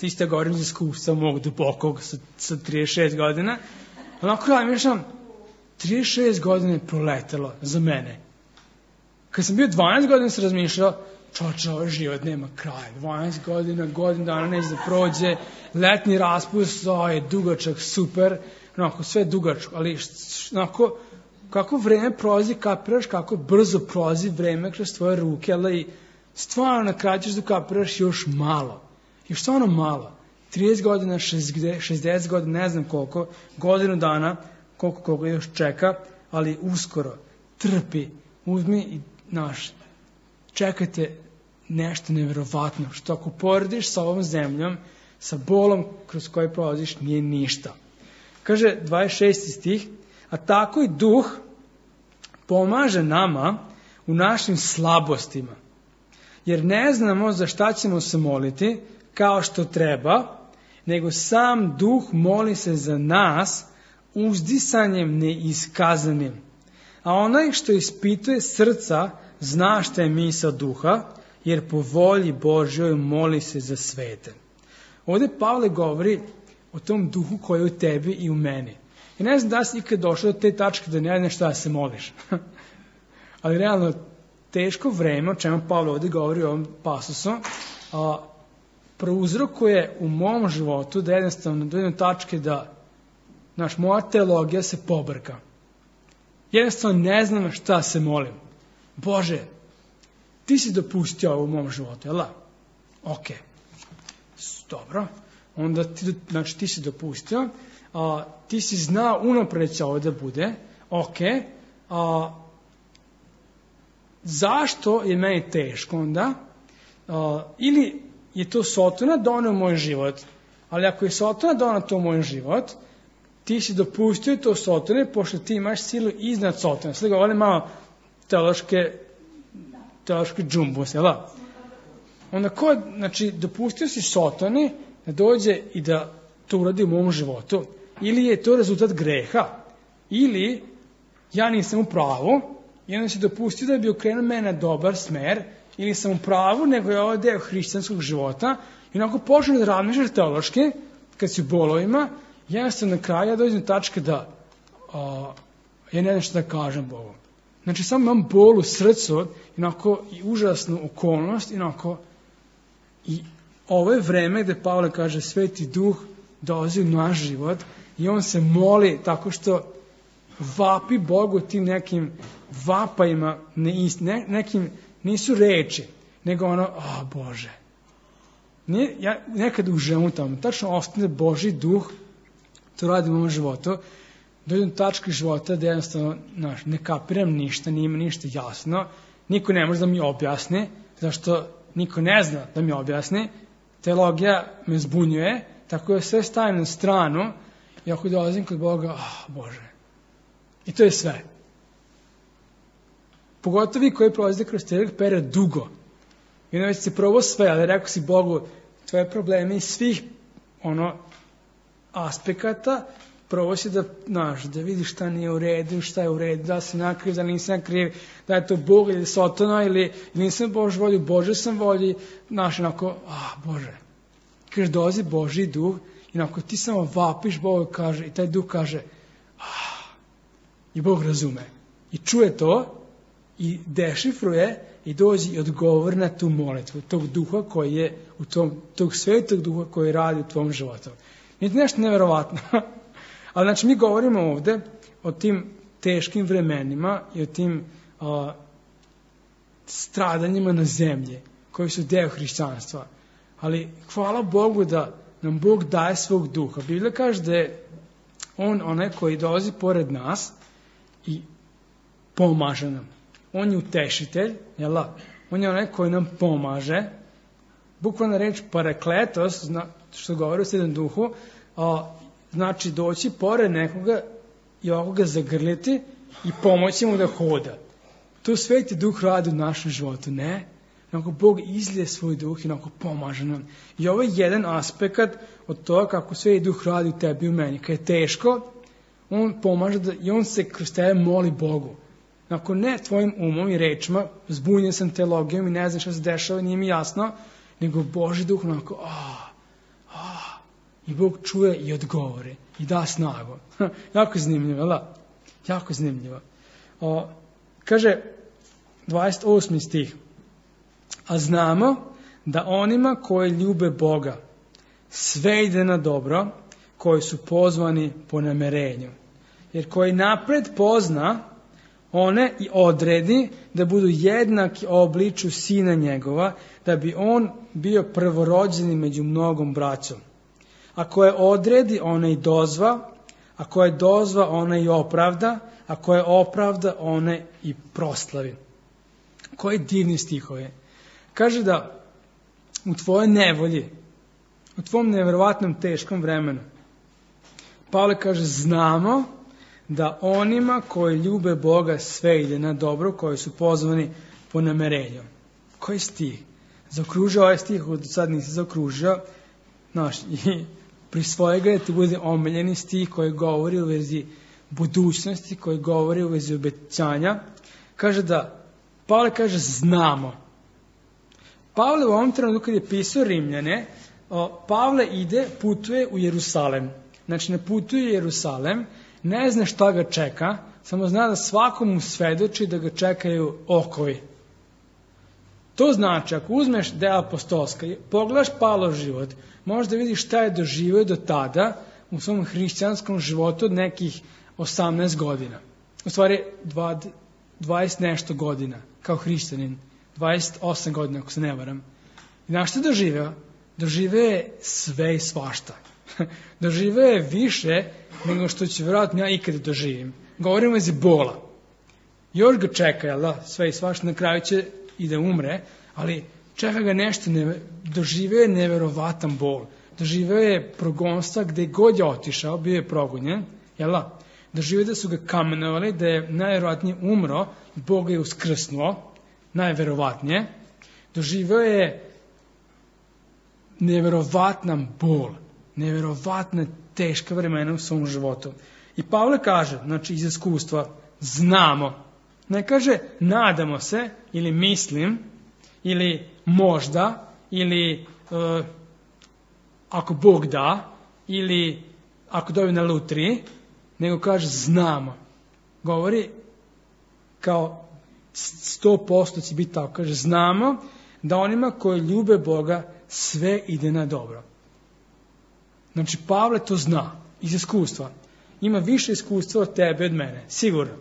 [SPEAKER 1] isto govorim za iskustva mog dubokog sa 36 godina, onako ja mišljam, 36 godina je proletelo za mene. Kad sam bio 12 godina sam razmišljao, ovaj život nema kraja. 12 godina, godinu dana neće da prođe, letnji raspust, je dugačak, super, onako sve dugačko, ali onako, kako vreme prolazi, kapiraš kako brzo prolazi vreme kroz tvoje ruke, ali stvarno na kraju ćeš da kapiraš još malo. Još stvarno malo. 30 godina, 60 godina, ne znam koliko, godinu dana, koliko još čeka, ali uskoro, trpi, uzmi i čekajte nešto nevjerovatno, što ako porediš sa ovom zemljom, sa bolom kroz koji prolaziš, nije ništa. Kaže 26. stih, a tako i duh pomaže nama u našim slabostima. jer ne znamo za šta ćemo se moliti kao što treba, nego sam Duh moli se za nas uzdisanjem neiskazanim. A onaj što ispituje srca zna šta je misao Duha, jer po volji Božjoj moli se za svete. Ovdje Pavle govori o tom Duhu koji je u tebi i u meni. I ne znam da si ikad došao do te tačke da ne znaš šta se moliš. Ali realno, teško vreme, o čemu Pavle ovdje govori u ovom pasusu, prouzrokuje u mom životu da jednostavno dođem do tačke da moja teologija se pobrka. Jednostavno ne znam šta se molim. Bože, ti si dopustio ovo u mom životu, jel da? Ok. Dobro. Onda ti si dopustio. Ti si znao unapred će ovo da bude. Ok. Zašto je meni teško onda? Ili je to Sotona doneo u moj život. Ali ako je Sotona doneo to u moj život, ti si dopustio to Sotone, pošto ti imaš silu iznad Sotona. Sada ga volim malo teološki džumbus, jel da? Onda dopustio si Sotoni da dođe i da to uradi u mom životu. Ili je to rezultat greha, ili ja nisam u pravu, i onda si dopustio da bi okrenuo mene na dobar smer, ili sam u pravu, nego je ovo deo hrišćanskog života, i onako počnem da razmišljaš teološki, kad si u bolovima, jednostavno na kraju ja dođem do tačke da ja ne znam što da kažem Bogu. Znači, samo imam bol u srcu, i užasnu okolnost, i ovo je vreme gde Pavle kaže Sveti Duh dolazi u naš život i on se moli tako što vapi Bogu tim nekim vapajima, nekim nisu reči, nego Bože. Ja nekad užemu tamo, tačno ostane Božji Duh, to radim u ovom životu, dođem do tačke života da jednostavno ne kapiram ništa, nije mi ništa jasno, niko ne može da mi objasni, zašto niko ne zna da mi objasni, teologija me zbunjuje, tako da sve stavim na stranu i ako dolazim kod Boga, Bože. I to je sve. Pogotovo vi koji prolazite kroz teolog period dugo. I onda već si probao sve, ali rekao si Bogu, tvoje probleme iz svih aspekata, probao si da vidiš šta nije u redu, šta je u redu, da si nakriv, da nisam nakriv, da je to Bog ili Sotona, ili nisam Bož volju, Bože sam volji, Bože. Kaže, dolazi Božji Duh, i ti samo vapiš, Bog kaže, i taj Duh kaže, i Bog razume. I čuje to, i dešifruje, i dođe i odgovori na tu molitvu, tog Duha koji je, tog Svetog Duha koji radi u tvom životu. Nije to nešto neverovatno. Ali mi govorimo ovde o tim teškim vremenima i o tim stradanjima na zemlji, koji su deo hrišćanstva. Ali hvala Bogu da nam Bog daje svog Duha. Biblija kaže da je On onaj koji dolazi pored nas i pomaže nam. On je utešitelj, jel? On je onaj koji nam pomaže. Bukvalna reč parakletos, što govori o Svetom Duhu, znači doći pored nekoga i ovako ga zagrliti i pomoći mu da hoda. To Sveti Duh radi u našem životu, ne? Bog izlije svoj Duh i pomaže nam. I ovo je jedan aspekt od toga kako Sveti Duh radi u tebi i u meni. Kad je teško, on pomaže i on se kroz tebe moli Bogu. Ne tvojim umom i rečima, zbunjen sam teologijom i ne znam šta se dešava, nije mi jasno, nego Božji Duh i Bog čuje i odgovori i da snagu. Jako zanimljivo, jel? Jako zanimljivo. Kaže 28. stih. A znamo da onima koji ljube Boga sve ide na dobro, koji su pozvani po namerenju. Jer koji napred pozna, one i odredi da budu jednaki obliču Sina njegova, da bi on bio prvorođeni među mnogom braćom. A koje odredi, one i dozva, a koje dozva, one i opravda, a koje opravda, one i proslavi. Koji divni stihovi. Kaže da u tvojoj nevolji, u tvom neverovatnom teškom vremenu, Pavle kaže, znamo da onima koji ljube Boga sve ide na dobro, koji su pozvani po namerenju. Koji stih? zaokružio ovaj stih, od sad nisam zaokružio, znaš, i prisvoje ga, ti bude omiljeni stih koji govori u vezi budućnosti, koji govori u vezi obećanja. Kaže da, Pavle kaže znamo. Pavle u ovom trenutku kad je pisao Rimljane, Pavle putuje u Jerusalem. Znači ne putuje u Jerusalem, ne zna šta ga čeka, samo zna da svakomu svedoči da ga čekaju okovi. To znači, ako uzmeš dela apostolska, pogledaš Pavlov život, možeš da vidiš šta je doživio do tada u svom hrišćanskom životu od nekih 18 godina. U stvari 20 nešto godina kao hrišćanin. 28 godina, ako se ne varam. I znaš što je doživio? Doživio je sve i svašta. Doživio je više nego što ću vjerojatno ja ikada doživim. Govorimo iz bola. Još ga čeka, jel da? Sve i svašta, na kraju će i da umre, ali čeka ga nešto, doživio je neverovatan bol. Doživio je progonstva gde god je otišao, bio je progonjen, jel da? Doživio da su ga kamenovali, da je najverovatnije umro, Bog je uskrsnuo, najverovatnije. Doživio je neverovatan bol, neverovatna teška vremena u svom životu. I Pavle kaže, znači iz iskustva, znamo. Ne kaže nadamo se, ili mislim, ili možda, ili ako Bog da, ili ako dobi na lutriji, nego kaže znamo. Govori kao 100% će biti tako. Kaže znamo da onima koji ljube Boga sve ide na dobro. Znači Pavle to zna iz iskustva. Ima više iskustva od tebe, od mene, sigurno.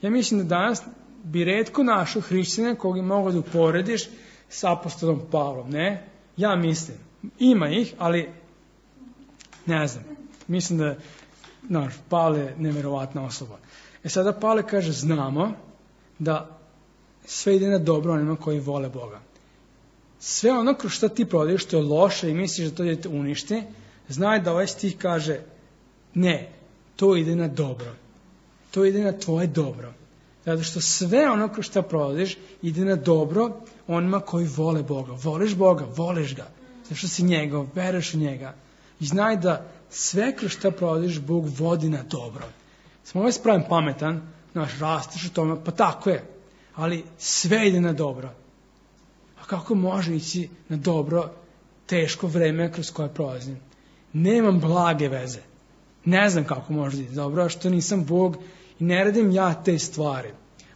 [SPEAKER 1] Ja mislim da danas bi retko našao hrišćana koga mogu da uporediš s apostolom Pavlom, ne? Ja mislim. Ima ih, ali ne znam. Mislim da Pavle je neverovatna osoba. Sada Pavle kaže znamo da sve ide na dobro onima koji vole Boga. Sve ono kroz što ti prolaziš što je loše i misliš da to da te uništi, znaj da ovaj stih kaže ne, to ide na dobro. To ide na tvoje dobro. Zato što sve ono kroz što prolaziš ide na dobro onima koji vole Boga. Voliš Boga, voliš ga. Zato što si njegov, veruješ u njega. I znaj da sve kroz što prolaziš Bog vodi na dobro. Samo ovaj spravim pametan, rasteš u tome, pa tako je. Ali sve ide na dobro. A kako može ići na dobro teško vreme kroz koje prolazim? Nemam blage veze. Ne znam kako može ići dobro, što nisam Bog i ne radim ja te stvari.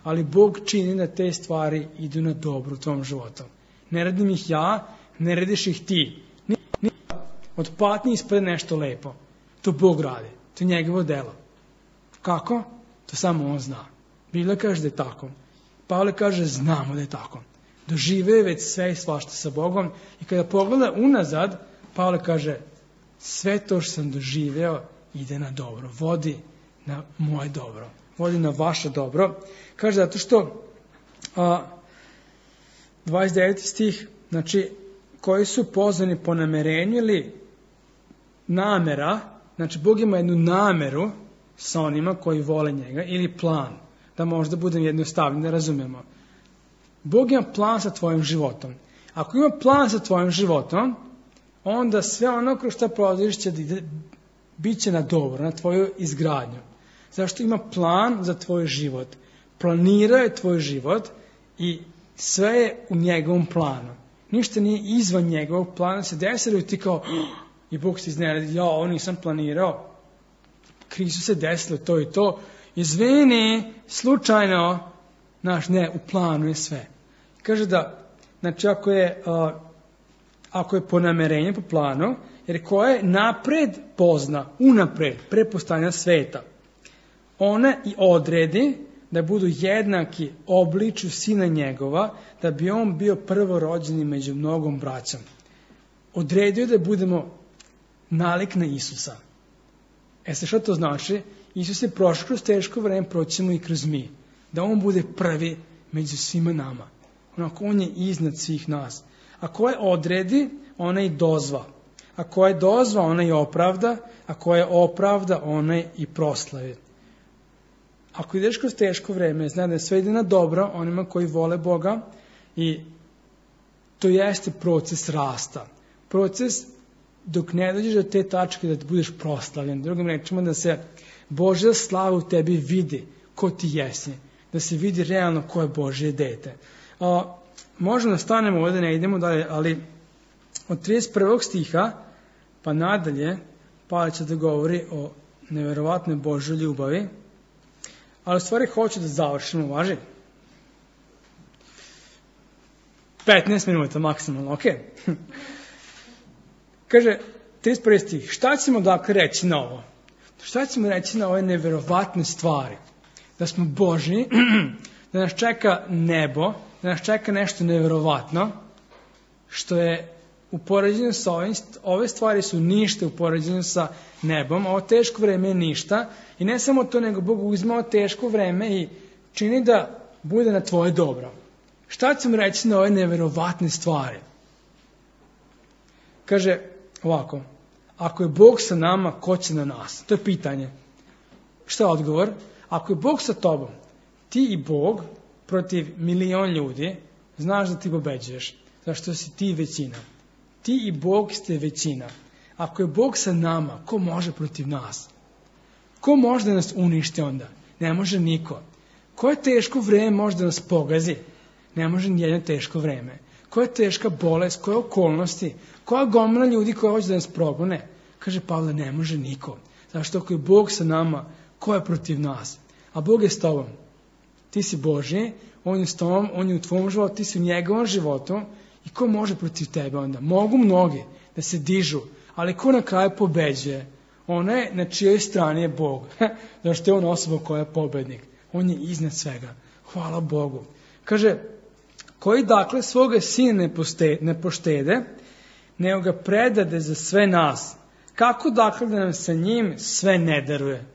[SPEAKER 1] Ali Bog čini da te stvari idu na dobro u tvom životu. Ne radim ih ja, ne radiš ih ti. Od patnje ispred nešto lepo. To Bog radi. To je njegovo delo. Kako? To samo on zna. Biblia kaže da je tako. Pavle kaže znamo da je tako. Dožive već sve i svašta sa Bogom i kada pogleda unazad, Pavle kaže sve to što sam doživeo ide na dobro. Vodi na moje dobro. Vodi na vaše dobro. Kaže zato što 29. stih, znači koji su pozvani po namerenju ili namera, znači Bog ima jednu nameru sa onima koji vole njega ili plan, da možda budem jednostavni, da razumemo. Bog ima plan sa tvojim životom. Ako ima plan sa tvojim životom, onda sve ono kroz što prolaziš će bit će na dobro, na tvoju izgradnju. Zašto ima plan za tvoj život? Planirao je tvoj život i sve je u njegovom planu. Ništa nije izvan njegovog plana, se desilo i ti kao i Bog se iznenadi, ja ovo nisam planirao. Krizu se desilo to i to. Izvini, slučajno, ne, u planu je sve. Kaže da, znači ako je po namerenju, po planu, jer koje napred pozna, unapred, pre postojanja sveta, ona i odredi da budu jednaki obličju sina njegova, da bi on bio prvorođeni među mnogom braćom. Odredio da budemo nalik na Isusa. Šta to znači? Isus je prošao kroz teško vreme, proćemo i kroz mi. Da on bude prvi među svima nama. Onako, on je iznad svih nas. Ako je odredi, ona i dozva. Ako je dozva, ona i opravda. Ako je opravda, ona i proslavi. Ako ideš kroz teško vreme, znaj da sve ide na dobro onima koji vole Boga i to jeste proces rasta. Proces dok ne dođeš do te tačke da ti budeš proslavljen. Drugim rečima, da se Božja slava u tebi vidi ko ti jesi. Da se vidi realno ko je Božje dete. Možemo da stanemo ovdje, ne idemo dalje, ali od 31. stiha pa nadalje Pavle će da govori o neverovatnoj Božjoj ljubavi. Ali u stvari hoću da završimo, važi? 15 minuta maksimalno, ok? Kaže, 31. stih, šta ćemo dakle reći na ovo? Šta ćemo reći na ove neverovatne stvari? Da smo Božji, da nas čeka nebo, da nas čeka nešto neverovatno, što je u poređenju sa ovim, ove stvari su ništa u poređenju sa nebom, ovo teško vreme je ništa, i ne samo to, nego Bog uzme teško vreme i čini da bude na tvoje dobro. Šta ćemo reći na ove neverovatne stvari? Kaže ovako, ako je Bog sa nama, ko će na nas? To je pitanje. Šta je odgovor? Ako je Bog sa tobom, ti i Bog protiv milion ljudi, znaš da ti pobeđuješ, zašto si ti većina. Ti i Bog ste većina. Ako je Bog sa nama, ko može protiv nas? Ko može da nas uništi onda? Ne može niko. Koje teško vreme može da nas pogazi? Ne može nijedno teško vreme. Koja je teška bolest, koje okolnosti, koja gomila ljudi koja hoće da nas progone? Kaže Pavle, ne može niko. Zašto ako je Bog sa nama, ko je protiv nas? A Bog je s tobom. Ti si Božji, On je s tobom, On je u tvom životu, ti si u njegovom životu. I ko može protiv tebe onda? Mogu mnogi da se dižu, ali ko na kraju pobeđuje? Ona je na čijoj strani je Bog. Zašto je On osoba koja je pobednik? On je iznad svega. Hvala Bogu. Kaže, koji dakle svoga sina ne poštede, nego ga predade za sve nas. Kako dakle da nam sa njim sve ne daruje?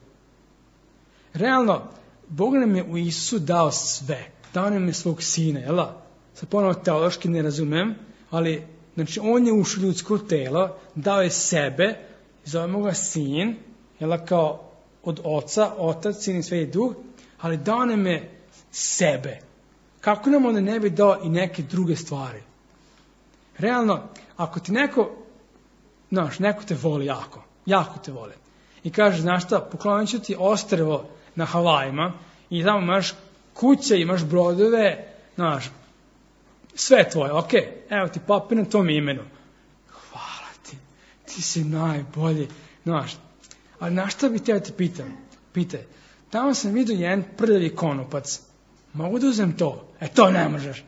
[SPEAKER 1] Realno, Bog nam je u Isusu dao sve. Dao nam je svog sina, jel? Sad ponovno teološki ne razumem, ali znači on je ušao u ljudsko telo, dao je sebe, zovemo ga sin, jel, kao od oca, otac, sin i sveti duh, ali dao nam je sebe. Kako nam onda ne bi dao i neke druge stvari? Realno, ako ti neko te voli jako te voli, i kaže, znaš šta, poklonit ću ti ostrvo na Havajima, i tamo imaš kuće, imaš brodove, znaš, sve tvoje, ok, evo ti papir na tom imenu. Hvala ti si najbolji, znaš. Ali na šta bi te pitaj, tamo sam vidio jedan prljavi konopac, mogu da uzem to? To ne možeš.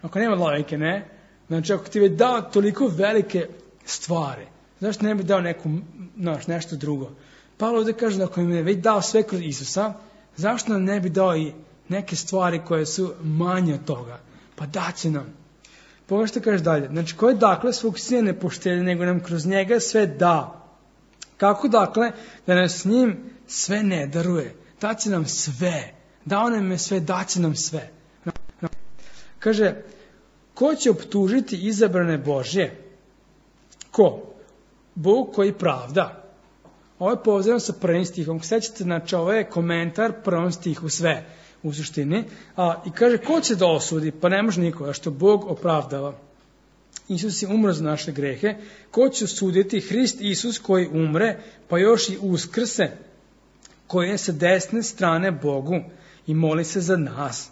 [SPEAKER 1] Ako nema logike, ne? Znači, ako ti je dao toliko velike stvari, zašto ne bi dao nešto drugo? Pavle ovdje kaže da ako im je već dao sve kroz Isusa, zašto nam ne bi dao i neke stvari koje su manje od toga? Pa daće nam. Pogledaj što kaže dalje. Znači, koje dakle svog sina ne poštede, nego nam kroz njega sve da. Kako dakle da nas s njim sve ne daruje? Daće nam sve. Dao nam je sve, daće nam sve. Kaže, ko će optužiti izabrane Božje? Ko? Bog koji pravda. Ovo je povezano sa prvim stihom. Sećate, znači, ovo je komentar prvom stihu sve u suštini. I kaže, ko će da osudi? Pa ne može niko, što Bog opravdava. Isus je umro za naše grehe. Ko će osuditi? Hrist Isus koji umre, pa još i uskrse, koji je sa desne strane Bogu i moli se za nas.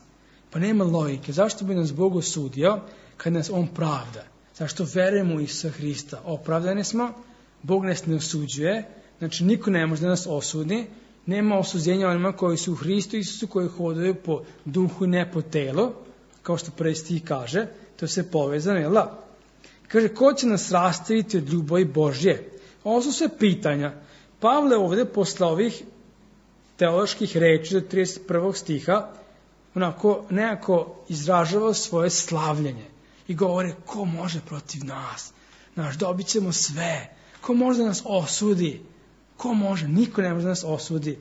[SPEAKER 1] Pa nema logike. Zašto bi nas Bog osudio kad nas On pravda? Zašto verujemo u Isusa Hrista? Opravdani smo, Bog nas ne osuđuje, znači niko ne može da nas osudi, nema osuđenja onima koji su u Hristu Isusu, koji hodaju po duhu i ne po telu, kao što prvi stih kaže, to je sve povezano, jel da? Kaže, ko će nas rastaviti od ljubavi Božje? Ovo su sve pitanja. Pavle ovdje posle ovih teoloških reči do 31. stiha nekako izražava svoje slavljenje i govore, ko može protiv nas? Dobit ćemo sve. Ko može da nas osudi? Ko može? Niko ne može da nas osudi.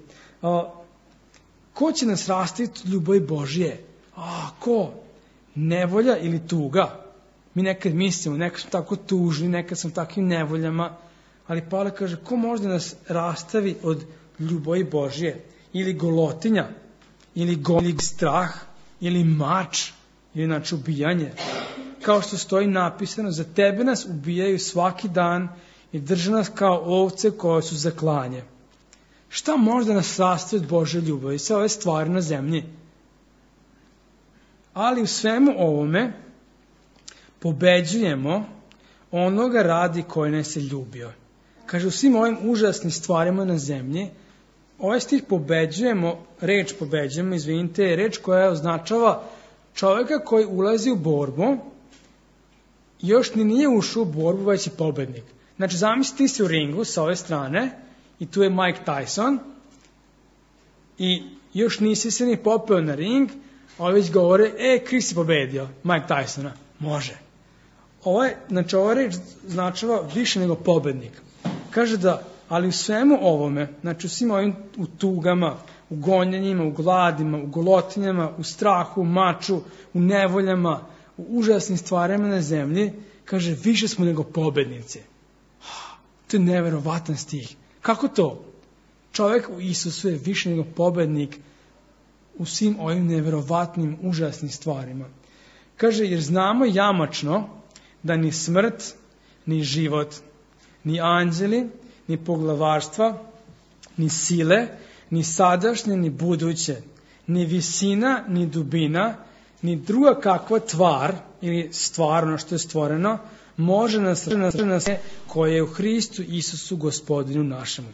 [SPEAKER 1] Ko će nas rastaviti od ljubavi Božje? Ko? Nevolja ili tuga? Mi nekad mislimo, nekad smo tako tužni, nekad smo takvim nevoljama, ali Pavle kaže, ko može da nas rastavi od ljubavi Božje? Ili golotinja, ili strah, ili mač, ili ubijanje. kao što stoji napisano, za tebe nas ubijaju svaki dan i drže nas kao ovce koje su za klanje. Šta može da nas sastoji od Božje ljubavi? Sve ove stvari na zemlji. Ali u svemu ovome pobeđujemo onoga radi koji nas je ljubio. Kaže, u svim ovim užasnim stvarima na zemlji, ovaj stih reč pobeđujemo, je reč koja označava čovjeka koji ulazi u borbu, još ni nije ušao u borbu, već je pobednik. Znači, zamisli ti si u ringu sa ove strane i tu je Mike Tyson i još nisi se ni popeo na ring, a već govore, Chris je pobedio Mike Tysona. Može. Ova reč značava više nego pobednik. Kaže da, ali u svemu ovome, znači u svim ovim u tugama, u gonjenjima, u gladima, u golotinjama, u strahu, u maču, u nevoljama, u užasnim stvarima na zemlji, kaže, više smo nego pobednici. To je neverovatan stih. Kako to? Čovjek u Isusu je više nego pobednik u svim ovim neverovatnim, užasnim stvarima. Kaže, jer znamo jamačno da ni smrt, ni život, ni anđeli, ni poglavarstva, ni sile, ni sadašnje, ni buduće, ni visina, ni dubina, ni druga kakva tvar, ili stvar, ono što je stvoreno, može nas koje je u Hristu Isusu Gospodinu našemu.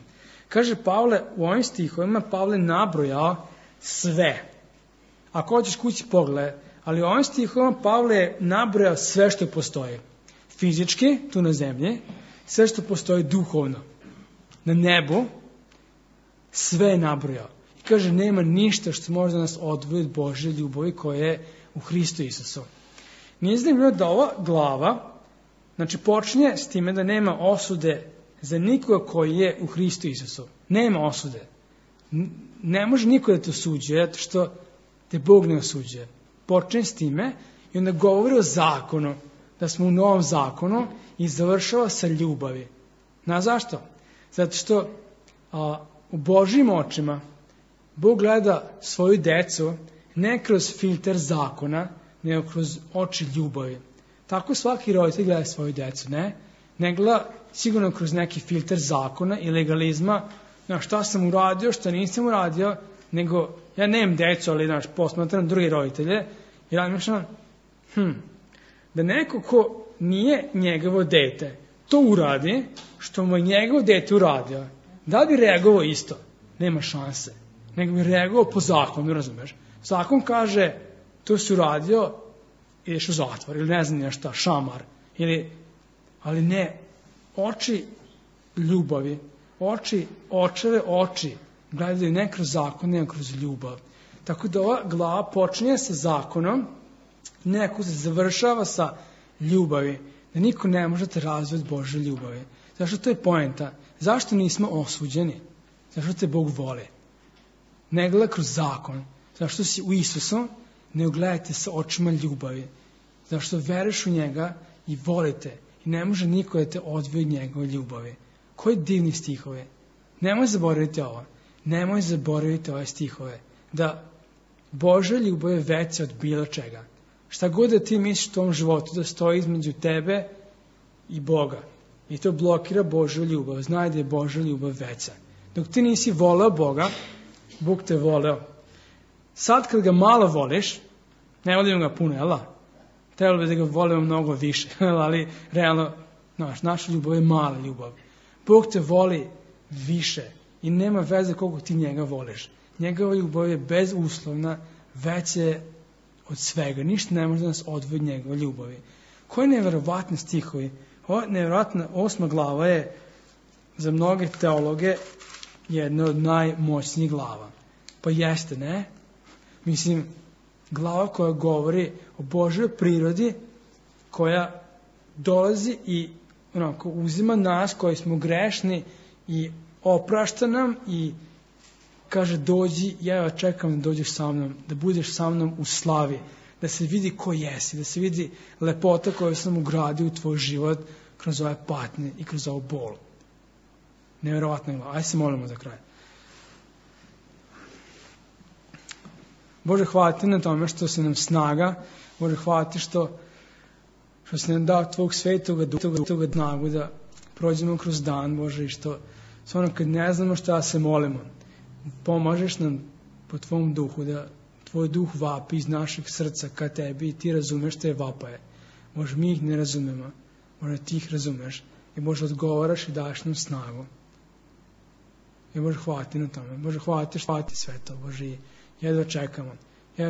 [SPEAKER 1] Kaže Pavle, u ovim stihovima Pavle nabrojao sve. Ako hoćeš kući pogledaj, ali u ovim stihovima Pavle je nabrojao sve što postoji. Fizički, tu na zemlji, sve što postoji duhovno. Na nebu, sve je nabrojao. I kaže, nema ništa što može da nas odvoji od Božje ljubavi koja je u Hristu Isusu. Nije zanimljivo da ova glava, znači počinje s time da nema osude za nikoga koji je u Hristu Isusu. Nema osude. Ne može niko da te osuđuje, zato što te Bog ne osuđuje. Počinje s time i onda govori o zakonu, da smo u novom zakonu i završava sa ljubavi. Znaš zašto? Zato što u Božjim očima Bog gleda svoju decu ne kroz filter zakona, nego kroz oči ljubavi. Tako svaki roditelj gleda svoju decu, ne? Ne gleda sigurno kroz neki filter zakona i legalizma, na šta sam uradio, šta nisam uradio, nego ja nemam decu, ali posmatram drugi roditelje i razmišljam, da neko ko nije njegovo dete, to uradi, što mu je njegovo dete uradio, da bi reagovao isto? Nema šanse. Nego bi reagovao po zakonu, razumeš? Zakon kaže, to si uradio, ideš u zatvor, ili ne znam nešto, šamar, ali ne, oči ljubavi, očeve oči, gledaju ne kroz zakon, nego kroz ljubav. Tako da ova glava počinje sa zakonom, neko se završava sa ljubavi, da niko ne može te razviti Božje ljubavi. Zašto to je poenta? Zašto nismo osuđeni? Zašto te Bog voli? Ne gleda kroz zakon. Zašto si u Isusu? Ne gledajte sa očima ljubavi. Zašto veruješ u njega i volite. I ne može niko da te odvoji od njegove ljubavi. Koji divni stihove. Nemoj zaboraviti ovo. Nemoj zaboraviti ove stihove. Da Božja ljubav je veća od bilo čega. Šta god da ti misliš u tom životu da stoji između tebe i Boga. I to blokira Božju ljubav. Znaj da je Božja ljubav veća. Dok ti nisi voleo Boga, Bog te voleo. Sad kad ga malo voliš, ne volimo ga puno, jel da? Trebalo bi da ga volimo mnogo više, ali realno, naša ljubav je mala ljubav. Bog te voli više i nema veze koliko ti njega voliš. Njegova ljubav je bezuslovna, već je od svega. Ništa ne može da nas odvoji od njegove ljubavi. Koje neverovatne stihovi. Ova neverovatna 8. glava je za mnoge teologe jedna od najmoćnijih glava. Pa jeste, ne? Mislim, glava koja govori o Božjoj prirodi, koja dolazi i uzima nas koji smo grešni i oprašta nam i kaže, dođi, ja čekam da dođeš sa mnom, da budeš sa mnom u slavi, da se vidi ko jesi, da se vidi lepota koju sam ugradio u tvoj život kroz ove patnje i kroz ovu bol. Nevjerovatna glava. Ajde se molimo za kraj. Bože, hvala ti na tome što si nam snaga. Bože, hvala ti što što si nam dao tvog svetoga duha snagu da prođemo kroz dan, Bože, i što ono kad ne znamo šta se molimo, pomažeš nam po tvom duhu, da tvoj duh vapi iz našeg srca ka tebi i ti razumeš te vapaje. Bože, mi ih ne razumemo, Bože, ti ih razumeš i Bože, odgovaraš i daš nam snagu. I Bože, hvala ti na tome. Bože, hvala ti sve to, Bože, i jedva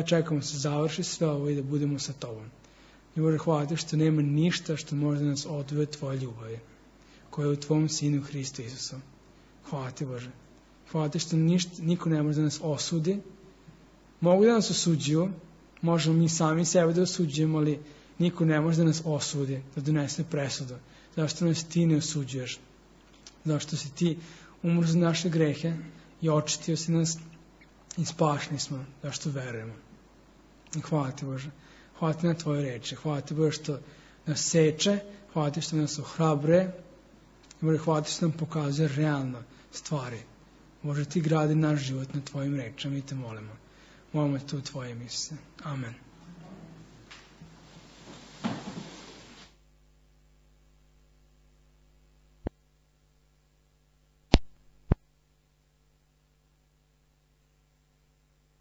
[SPEAKER 1] čekamo se završi sve ovo i da budemo sa tobom. I Bože, hvala ti što nema ništa što može da nas odvoji od tvoje ljubavi, koja je u tvom Sinu Hristu Isusu. Hvala ti, Bože. Hvala ti što niko ne može da nas osudi. Mogu da nas osuđuju, možemo mi sami sebe da osuđujemo, ali niko ne može da nas osudi, da donese presudu. Zašto nas ti ne osuđuješ? Zašto si ti umro za naše grehe i očistio si nas i spašni smo, zašto verujemo. I hvala ti, Bože. Hvala ti na tvoje reči. Hvala ti, Bože, što nas seče. Hvala ti što nas ohrabruje. Bože, hvala ti što nam pokazuje realno stvari. Bože, ti gradi naš život na tvojim rečama i te molimo. Molimo te u tvoje Isuse. Amen.